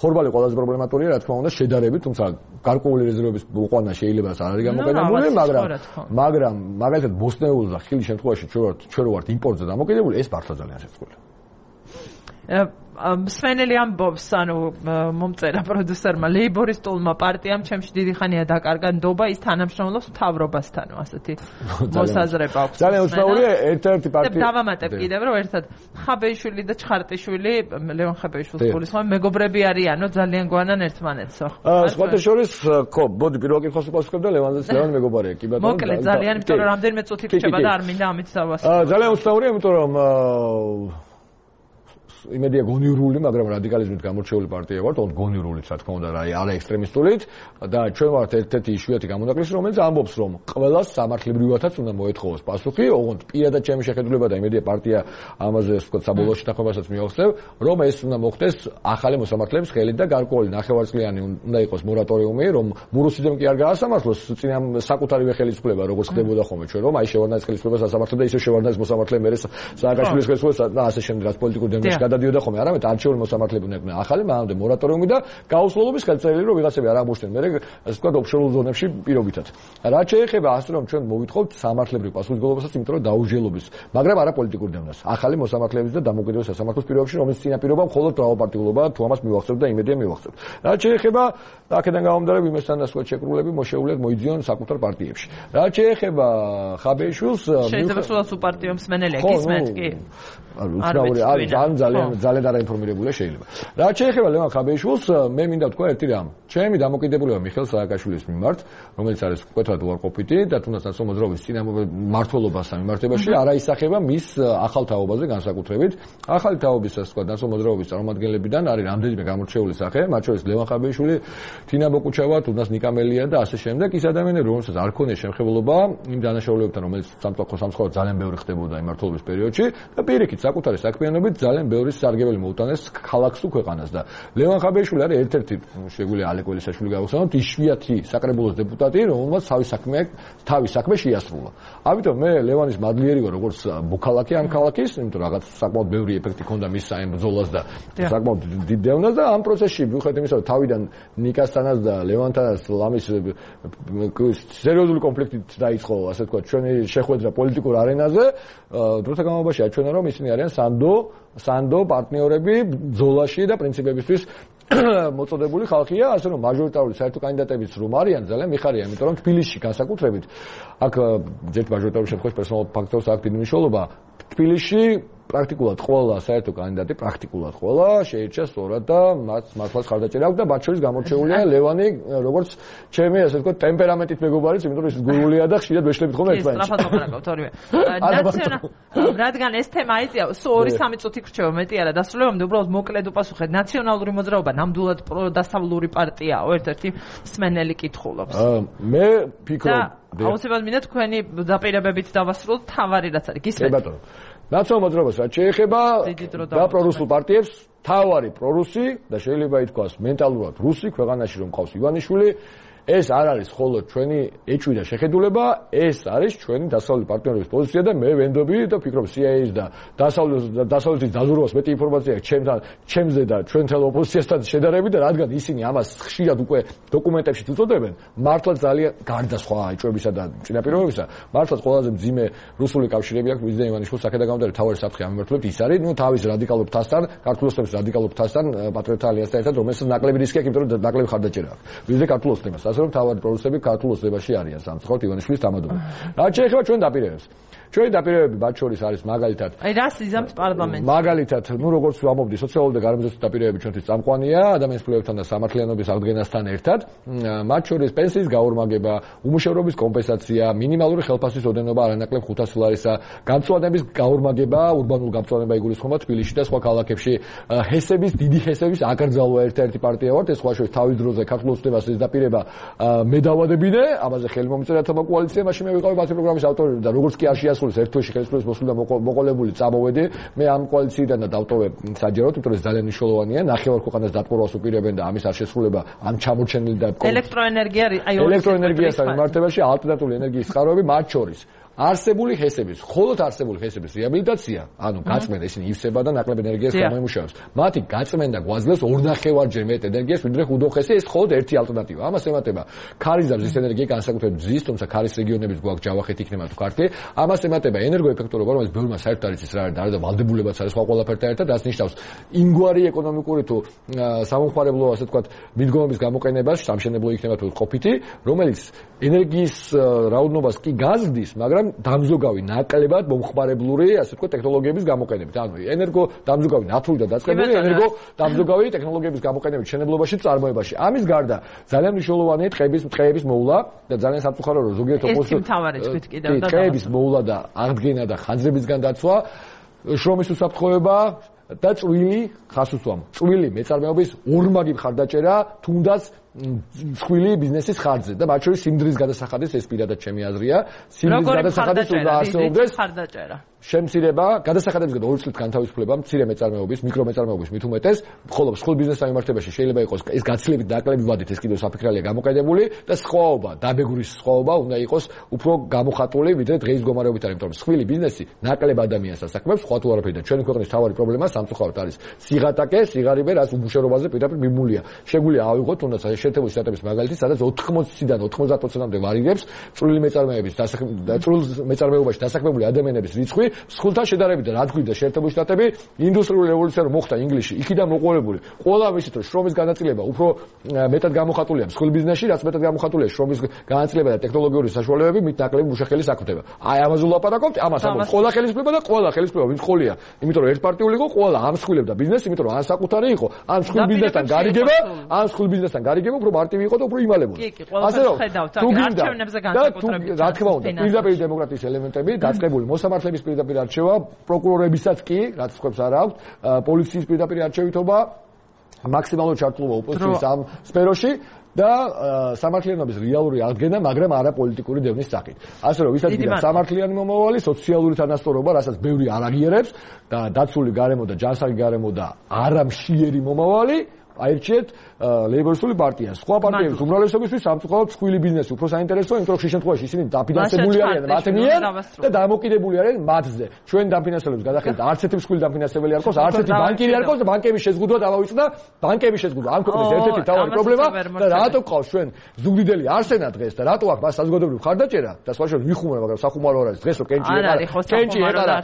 [SPEAKER 5] ხორბალი ყველაზე პრობლემატურია, რა თქმა უნდა, შედარებით, თუმცა გარკვეული რეზერვების მოყვანა შეიძლება არ არის გამოყენებული, მაგრამ მაგრამ მაგალითად ბოსნეულს და ხილის შემთხვევაში ჩვენ ვართ ჩვენ ვართ იმპორტზე დამოკიდებული, ეს მართლა ძალიან შეცვლილია.
[SPEAKER 1] მსვენელი ამბობს, ანუ მომწერა პროდიუსერმა, ლეიბორისტულმა პარტიამ ჩემში დიდი ხანია დაკარგა ნდობა, ის თანამშრომლობს მთავრობასთან, ასეთი მოსაზრება აქვს.
[SPEAKER 5] ძალიან უცნაურია, ერთ-ერთი პარტია.
[SPEAKER 1] დავამატებ კიდევ, რომ ერთად ხაბეიშვილი და ჩხარტიშვილი, ლევან ხაბეიშვილის გულისხმობ, მეგობრები არიანო, ძალიან გვანან ერთმანეთსო.
[SPEAKER 5] სხვათა შორის, ხო, ბოდი პირველ კითხვას უპასუხებ და ლევანზეც ლევან მეგობარია, კი ბატონო.
[SPEAKER 1] მოკლედ, ძალიან, იმიტომ რომ რამდენიმე წუთი რჩება და არ მინდა ამით დავასრულო.
[SPEAKER 5] ძალიან უცნაურია, იმიტომ რომ იმედია გონიურული, მაგრამ რადიკალიზმით გამორჩეული პარტია ვართ, ოღონდ გონიურულით, რა თქმა უნდა, რა არა ექსტრემისტულით და ჩვენ ვართ ერთ-ერთი იშვიათი გამონაკლისი, რომელიც ამბობს, რომ ყველას სამართლებრივადაც უნდა მოეთხოვოს პასუხი, ოღონდ პირადად ჩემი შეხედულება და იმედია პარტია ამაზე, ასე ვთქვათ, საბოლოო შეთანხმებასაც მიაღწევ, რომ ეს უნდა მოხდეს ახალი მოსამართლეების ხელით და გარკვეული ნახევარწლიანი უნდა იყოს მორატორიუმი, რომ მურუსიძემ კი არ გაასამართლოს წინა საკუთარივე ხელისუფლება, როგორც ხდებოდა ხოლმე ჩვენ, რომ აი შევარდნაის ხელისუფლებას ასამართლებს და ისე შევარდნაის მოსამართლე მერე სააკაშვილის ხელისუფლებას და ასე შემდეგ, რაც პოლიტიკურ დემონსტრაციებში გადადიოდა ხოლმე, არამედ არჩეული მოსამართლეები უნდა იყვნენ ახალი, მანამდე მორატორიუმი და გაუსვლელობის ხელწერილი, რომ ვიღაცები არ აღმოჩნდნენ მერე, ასე ვთქვათ, ოფშორულ ზონებში პირობითად. რაც შეეხება ასე რომ ჩვენ მოვითხოვთ სამართლებრივ პასუხისმგებლობასაც, იმიტომ რომ დაუჯელობის, მაგრამ არა პოლიტიკურ დევნას. ახალი მოსამართლეების და დამოუკიდებელ სასამართლოს პირობებში, რომელიც წინა პირობა მხოლოდ მრავალპარტიულობა თუ ამას მივახცევთ და იმედია მივახცევთ. რაც შეეხება აქედან გამომდინარე იმასთან ასეთ შეკრულები მოშეულიათ მოიძიონ საკუთარ პარტიებში. რაც შეეხება ხაბეიშვილს,
[SPEAKER 1] შეიძლება სულაც უპარტიო მსმენელი ეკისმენთ კი?
[SPEAKER 5] უცნაური არის, ძალიან ძალიან ძალიან არაინფორმირებულია შეიძლება. რაც შეეხება ლევან ხაბეიშვილს, მე მინდა ვთქვა ერთი რამ. ჩემი დამოკიდებულება მიხეილ სააკაშვილის მიმართ, რომელიც არის მკვეთრად უარყოფითი და თუნდაც ნაციონალური მოძრაობის წინამორბედობას სამართლებაში არ აისახება მის ახალ თაობაზე განსაკუთრებით. ახალი თაობის, ასე ვთქვათ, ნაციონალური მოძრაობის წარმომადგენლებიდან არის რამდენიმე გამორჩეული სახე, მათ შორის ლევან ხაბეიშვილი, თინა ბოკუჩავა, თუნდაც ნიკამელია და ასე შემდეგ. ის ადამიანები, რომელსაც არ ქონია შემხებულობა იმ დანაშაულებებთან, რომელიც სამწუხაროდ სამწუხაროდ ძალიან ბევრი ხდებოდა იმ მმართველობის პერიოდში და პირიქით საკუთარი საქმიანობით ძალიან ბევრი სარგებელი მოუტანეს ქალაქს თუ ქვეყანას და ლევან ხაბეიშვილი არის ერთ-ერთი შეგვიძლია ალეკველისაშვილი გავხსენოთ იშვიათი საკრებულოს დეპუტატი, რომელმაც თავის საქმე თავის საქმე შეასრულა. ამიტომ მე ლევანის მადლიერი ვარ როგორც მოქალაქე ამ ქალაქის, იმიტომ რომ რაღაც საკმაოდ ბევრი ეფექტი ჰქონდა მის საიმ ბრძოლას და საკმაოდ დიდ დევნას და ამ პროცესში მიუხედავად იმისა, რომ თავიდან ნიკასთანაც და ლევანთანაც ლამის სერიოზული კონფლიქტით დაიწყო, ასე ვთქვათ, ჩვენი შეხვედრა პოლიტიკურ არენაზე, დროთა განმავლობაში აჩვენა, რომ ისინი არიან სანდო სანდო პარტნიორები ბრძოლაში და პრინციპებისთვის მოწოდებული ხალხია, ასე რომ მაჟორიტარული საერთო კანდიდატებიც რომ არიან, ძალიან მიხარია, იმიტომ რომ თბილისში განსაკუთრებით აქ ჯერ მაჟორიტარული შემთხვევაში პერსონალურ ფაქტორს აქვს დიდი მნიშვნელობა. თბილისში პრაქტიკულად ყველა საერთო კანდიდატი პრაქტიკულად ყველა შეირჩა სწორად და მათ მართლაც ხარდაჭერა აქვს და მათ შორის გამორჩეულია ლევანი როგორც ჩემი ასე ვთქვათ ტემპერამენტით მეგობარიც, იმიტომ რომ ის გურულია და ხშირად ვეშლებით ხოლმე ერთმანეთს.
[SPEAKER 1] ეს სწრაფად მოგანაგავთ ორივე. ნაციონალ რადგან ეს თემა აიწია, სულ ორი სამი წუთი გრჩევა მეტი არა დასრულებამდე უბრალოდ მოკლედ უპასუხეთ. ნაციონალური მოძრაობა ნამდვილად პროდასავლური პარტიაა, ერთ-ერთი მსმენელი კითხულობს.
[SPEAKER 5] მე ფიქრობ
[SPEAKER 1] აუცილებლად მინდა თქვენი დაპირებებით დავასრულოთ თავარი რაც არის. გისმენთ?
[SPEAKER 5] ბატონო. ნაციონალურ მოძრაობას რაც შეეხება და პრორუსულ პარტიებს, თავარი პრორუსი და შეიძლება ითქვას მენტალურად რუსი ქვეყანაში რომ ყავს ივანიშვილი, ეს არ არის მხოლოდ ჩვენი ეჭვი და შეხედულება, ეს არის ჩვენი დასავლელი პარტნიორების პოზიცია და მე ვენდობი და ფიქრობ სი აი ეის და დასავლეთის დაზურვას მეტი ინფორმაცია აქვს ჩემთან, ჩემზე და ჩვენთან ოპოზიციასთან შედარებით და რადგან ისინი ამას ხშირად უკვე დოკუმენტებში უწოდებენ, მართლა ძალიან გარდა სხვა ეჭვებისა და წინაპირობებისა, მართლა ყველაზე მძიმე რუსული კავშირები აქვს მიზნე ივანიშვილის აქედან გამომდინარე თავარი საფრთხე ამემართლებით ის არის, ნუ თავის რადიკალურ ფასთან, ქართულ ოსტების რადიკალურ ფასთან, პატრიოტთა ალიანსთან ერთად, რომელსაც ნაკლები რისკი აქვს, იმიტომ რომ ნაკლები ხარდაჭერა აქვს. ვიზე ქართულ ოსტებას ასე რომ თავარი პროდუსერები ქართულ ოსტებაში არიან სამწუხაროდ ივანიშვილის თამადობა. რაც შეეხება ჩვენ დაპირებებს. ჩვენი დაპირებები მათ შორის არის მაგალითად
[SPEAKER 1] აი რას იზამს პარლამენტი?
[SPEAKER 5] მაგალითად, ნუ როგორც ვამობდი, სოციალური და გარემოსდაცვის დაპირებები ჩვენთვის წამყვანია ადამიანის ფლობებთან და სამართლიანობის აღდგენასთან ერთად. მათ შორის პენსიის გაორმაგება, უმუშევრობის კომპენსაცია, მინიმალური ხელფასის ოდენობა არანაკლებ ხუთასი ლარისა, გამწვანების გაორმაგება, ურბანულ გამწვანება იგულისხმება თბილისში და სხვა ქალაქებში. ჰესების, დიდი ჰესების აკრძალვა ერთ-ერთი პარტია ვართ, ეს სხვა შორის თავის დროზე ქართულ ოსტებას ეს დაპირება მე დავადებინე, ამაზე ხელი მომწერა თომა კოალიცია, მაშინ მე ვიყავი ბათუმის პროგრამის ავტორი და როგორც კი არ შეასრულეს ერთ თვეში ხელისუფლების მოსვლიდან მოყოლებული წამოვედი, მე ამ კოალიციიდან და დავტოვე საჯაროდ, იმიტომ რომ ეს ძალიან მნიშვნელოვანია, ნახევარ ქვეყანას დატბორვას უპირებენ და ამის არ შესრულება ამ ჩამორჩენილი და
[SPEAKER 1] ელექტროენერგია აი
[SPEAKER 5] ელექტროენერგიასთან მიმართებაში ალტერნატიული ენერგიის წყაროები მათ შორის არსებული ჰესების, მხოლოდ არსებული ჰესების რეაბილიტაცია, ანუ გაწმენდა ისინი ივსება და ნაკლებ ენერგიას გამოიმუშავებს. მათი გაწმენდა გვაძლევს ორნახევარჯერ მეტ ენერგიას, ვიდრე ხუდოხესი, ეს მხოლოდ ერთი ალტერნატივა. ამას ემატება ქარიზარს ის ენერგია განსაკუთრებით მზის, თუმცა ქარის რეგიონების გვაქვს ჯავახეთ იქნება თუ ქართლი. ამას ემატება ენერგოეფექტურობა, რომელიც ბევრმა საერთოდ არის ის რა არის, და ვალდებულებაც არის სხვა ყველაფერთან ერთად, რაც ნიშნავს ინგვარი ეკონომიკური თუ სამომხმარებლო, ასე ვთქვათ, მიდგომების გამოყენებას, სამშენებლო იქნება თუ ყოფითი, რომელიც ენერგიის რაოდენობას კი გაზრდის, მაგრამ დამზოგავი ნაკლებად მომხმარებლური, ასე ვთქვათ, ტექნოლოგიების გამოყენებით. ანუ ენერგო დამზოგავი ნათური და დაწყებული, ენერგო დამზოგავი ტექნოლოგიების გამოყენებით მშენებლობაში, წარმოებაში. ამის გარდა ძალიან მნიშვნელოვანია ტყეების ტყეების მოვლა და ძალიან სამწუხარო რომ ზოგიერთ ოპოზიციას ტყეების მოვლა და აღდგენა და ხანძრებისგან დაცვა, შრომის უსაფრთხოება და წვილი ხასუსვამ. წვილი მეწარმეობის ორმაგი ხარდაჭერა, თუნდაც მსხვილი ბიზნესის ხარჯზე და მათ შორის სიმდრის გადასახადის ეს პირადად ჩემი აზრია. სიმდრის გადასახადის უნდა არსებობდეს ხარდაჭერა. შემცირება, გადასახადებისგან ორი წლით განთავისუფლება მცირე მეწარმეობის, მიკრომეწარმეობის მით უმეტეს, ხოლო მსხვილ ბიზნესთან მიმართებაში შეიძლება იყოს ეს გაცილებით ნაკლები ვადით, ეს კიდევ საფიქრალია გამოყენებული და სხვაობა, დაბეგურის სხვაობა უნდა იყოს უფრო გამოხატული, ვიდრე დღეის მდგომარეობით არის, იმიტომ რომ მსხვილი ბიზნესი ნაკლებ ადამიანს ასაქმებს, სხვა თუ არაფერი და ჩვენი ქვეყნის თავარი პრობლემა სამწუხაროდ არის სიღატაკე, სიღარიბე, რაც უმუშევრობაზე პირდაპირ მიმულია. შეგვიძლია ავიღოთ თუნდაც შეერთებული შტატების მაგალითი, სადაც ოთხმოციდან ოთხმოცდაათ პროცენტამდე ვარირებს წვრილი მეწარმეების და წვრილ მეწარმეობაში დასაქმებული ადამიანების რიცხვი მსხვილთან შედარებით და რა თქვია შეერთებული შტატები ინდუსტრიული რევოლუცია რომ მოხდა ინგლისში, იქიდან მოყოლებული. ყველა ვიცით რომ შრომის განაწილება უფრო მეტად გამოხატულია მსხვილ ბიზნესში, რაც მეტად გამოხატულია შრომის განაწილება და ტექნოლოგიური საშუალებები მით ნაკლები მუშახელი საკუთრება. აი ამაზე ვლაპარაკობთ, ამას ამბობთ ყველა ხელისუფლება და ყველა ხელისუფლება ვინც ყოლია, იმიტომ რომ ერთპარტიული იყო, ყველა ამსხვილებდა ბიზნესს, იმიტომ რომ ან საკუთარი იყო, ან მსხვილ ბიზნესთან გარიგება, ან მსხვილ ბიზნესთან გარიგება უფრო მარტივი იყო და უფრო იმალებოდა.
[SPEAKER 1] ასე რომ თუ არჩევნებზე განსაკუთრებით
[SPEAKER 5] რა თქმა უნდა, პირდაპირ დემოკრატიის ელემენტები დაწყებული მოსამართლების პირდაპირ არჩევა, პროკურორებისაც კი, რაც ხებს არ აქვს, პოლიციის პირდაპირ არჩევითობა, მაქსიმალური ჩართულობა ოპოზიციის ამ სფეროში და სამართლიანობის რეალური აღდგენა, მაგრამ არა პოლიტიკური დევნის სახით. ასე რომ ვისაც გინდა სამართლიანი მომავალი, სოციალური თანასწორობა, რასაც ბევრი არ აღიარებს და დაცული გარემო და ჯანსაღი გარემო და არამშიერი მომავალი აირჩიეთ ლეიბორისტული პარტია. სხვა პარტიების უმრავლესობისთვის სამწუხაროდ მსხვილი ბიზნესი უფრო საინტერესოა, იმიტომ რომ ხშირ შემთხვევაში ისინი დაფინანსებული არიან მათ მიერ და დამოკიდებული არიან მათზე. ჩვენ დაფინანსებელებს გადახედეთ, არც ერთი მსხვილი დაფინანსებელი არ ყავს, არც ერთი ბანკირი არ ყავს და ბანკების შეზღუდვა დავავიწყდა, ბანკების შეზღუდვა. ამ ქვეყნის ერთ-ერთი მთავარი პრობლემა და რატო ყავს ჩვენ ზუგდიდელი არსენა დღეს და რატო აქვს მას საზოგადოებრივი ხარდაჭერა და სხვა შორის ვიხუმრე, მაგრამ სახუმარო არ არის დღეს რომ კენჭი ეყარა, კენჭი ეყარა,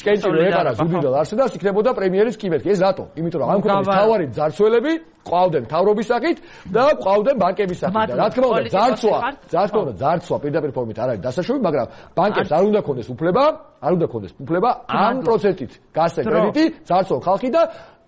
[SPEAKER 5] კენჭი რომ ეყარა ზუგდიდელ არსენას იქნებოდა პრემიერის კიბერკი. ეს რატო? იმიტომ რომ ამ ქვეყნის მთავარი ძარცველები ყავდნენ მთავრობის სახით და ყავდნენ ბანკების სახით და რა თქმა უნდა ძარცვა რა თქმა უნდა ძარცვა პირდაპირ ფორმით არ არის დასაშვები მაგრამ ბანკებს არ უნდა ქონდეს უფლება არ უნდა ქონდეს უფლება ამ პროცენტით გასცენ კრედიტი ძარცვა ხალხი და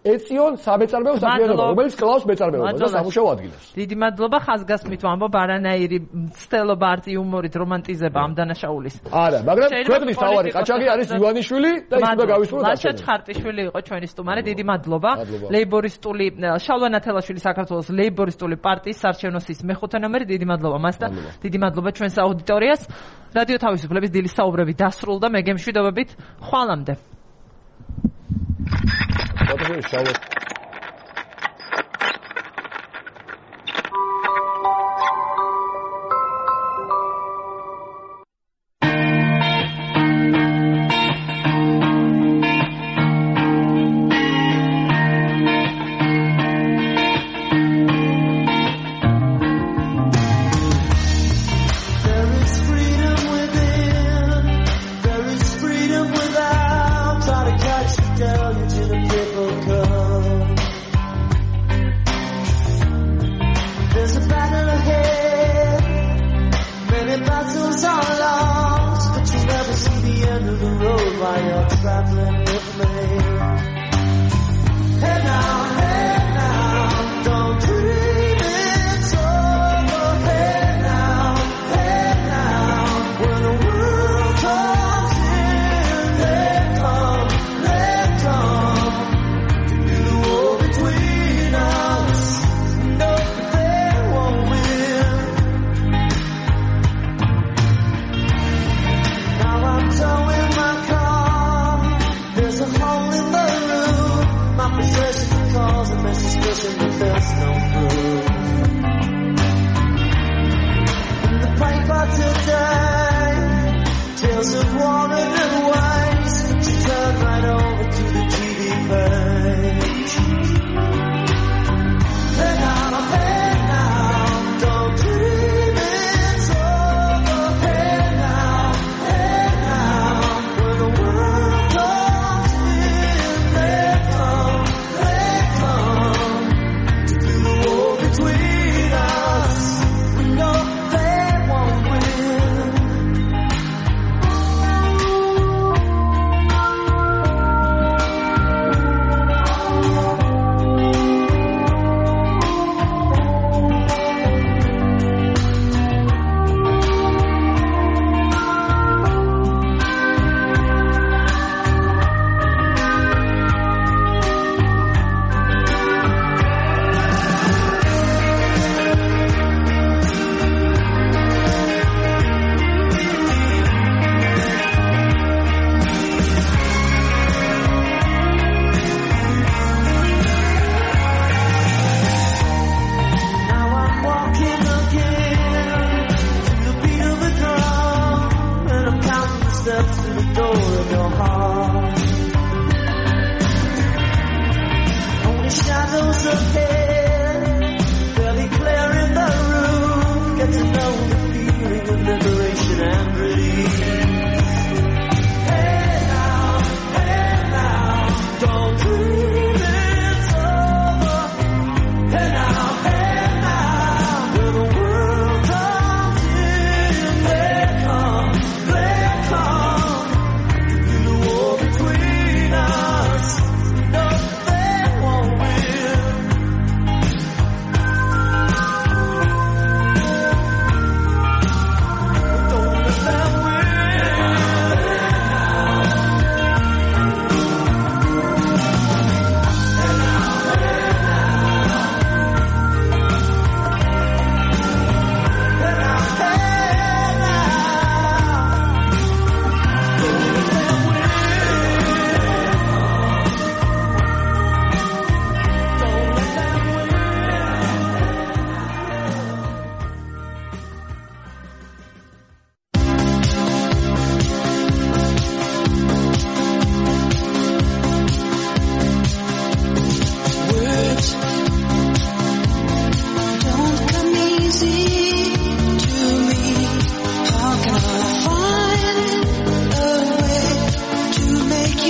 [SPEAKER 5] ეციონ სამეწარმეო საქმიანობა რომელიც კლავს მეწარმეობას და სამუშაო ადგილებს
[SPEAKER 1] დიდი მადლობა ხაზგასმით ვამბობ არანაირი მცდელობა არც იუმორით რომანტიზება ამ დანაშაულის
[SPEAKER 5] არა მაგრამ ქვეყნის თავარი ყაჩაღი არის ივანიშვილი და ის უნდა გავისურვოთ
[SPEAKER 1] ლაშა ჩხარტიშვილი იყო ჩვენი სტუმარი დიდი მადლობა ლეიბორისტული შალვა ნათელაშვილი საქართველოს ლეიბორისტული პარტიის საარჩევნო სიის მეხუთე ნომერი დიდი მადლობა მას და დიდი მადლობა ჩვენს აუდიტორიას რადიო თავისუფლების დილის საუბრები დასრულდა მე გემშვიდობებით ხვალამდე
[SPEAKER 5] What is it?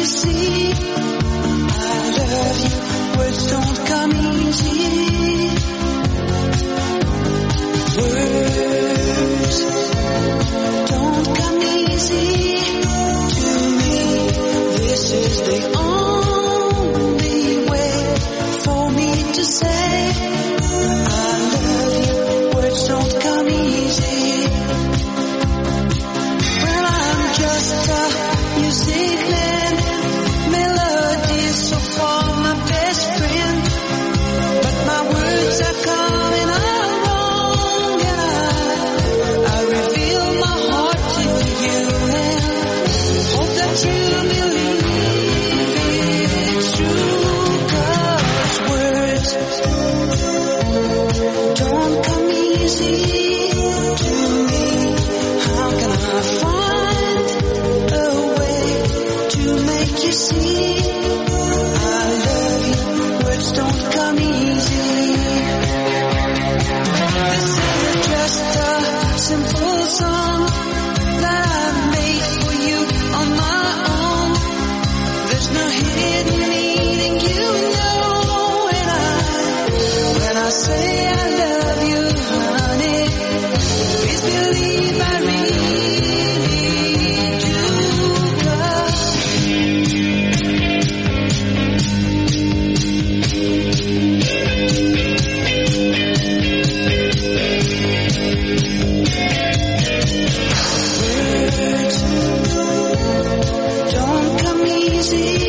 [SPEAKER 6] you see, I love you, words don't come easy. make you see I love you. Words don't come easy. This is just a simple song that I made for you on my own. There's no hidden meaning, you know when I when I say I love you, honey. Please believe I really do love. Words don't come easy.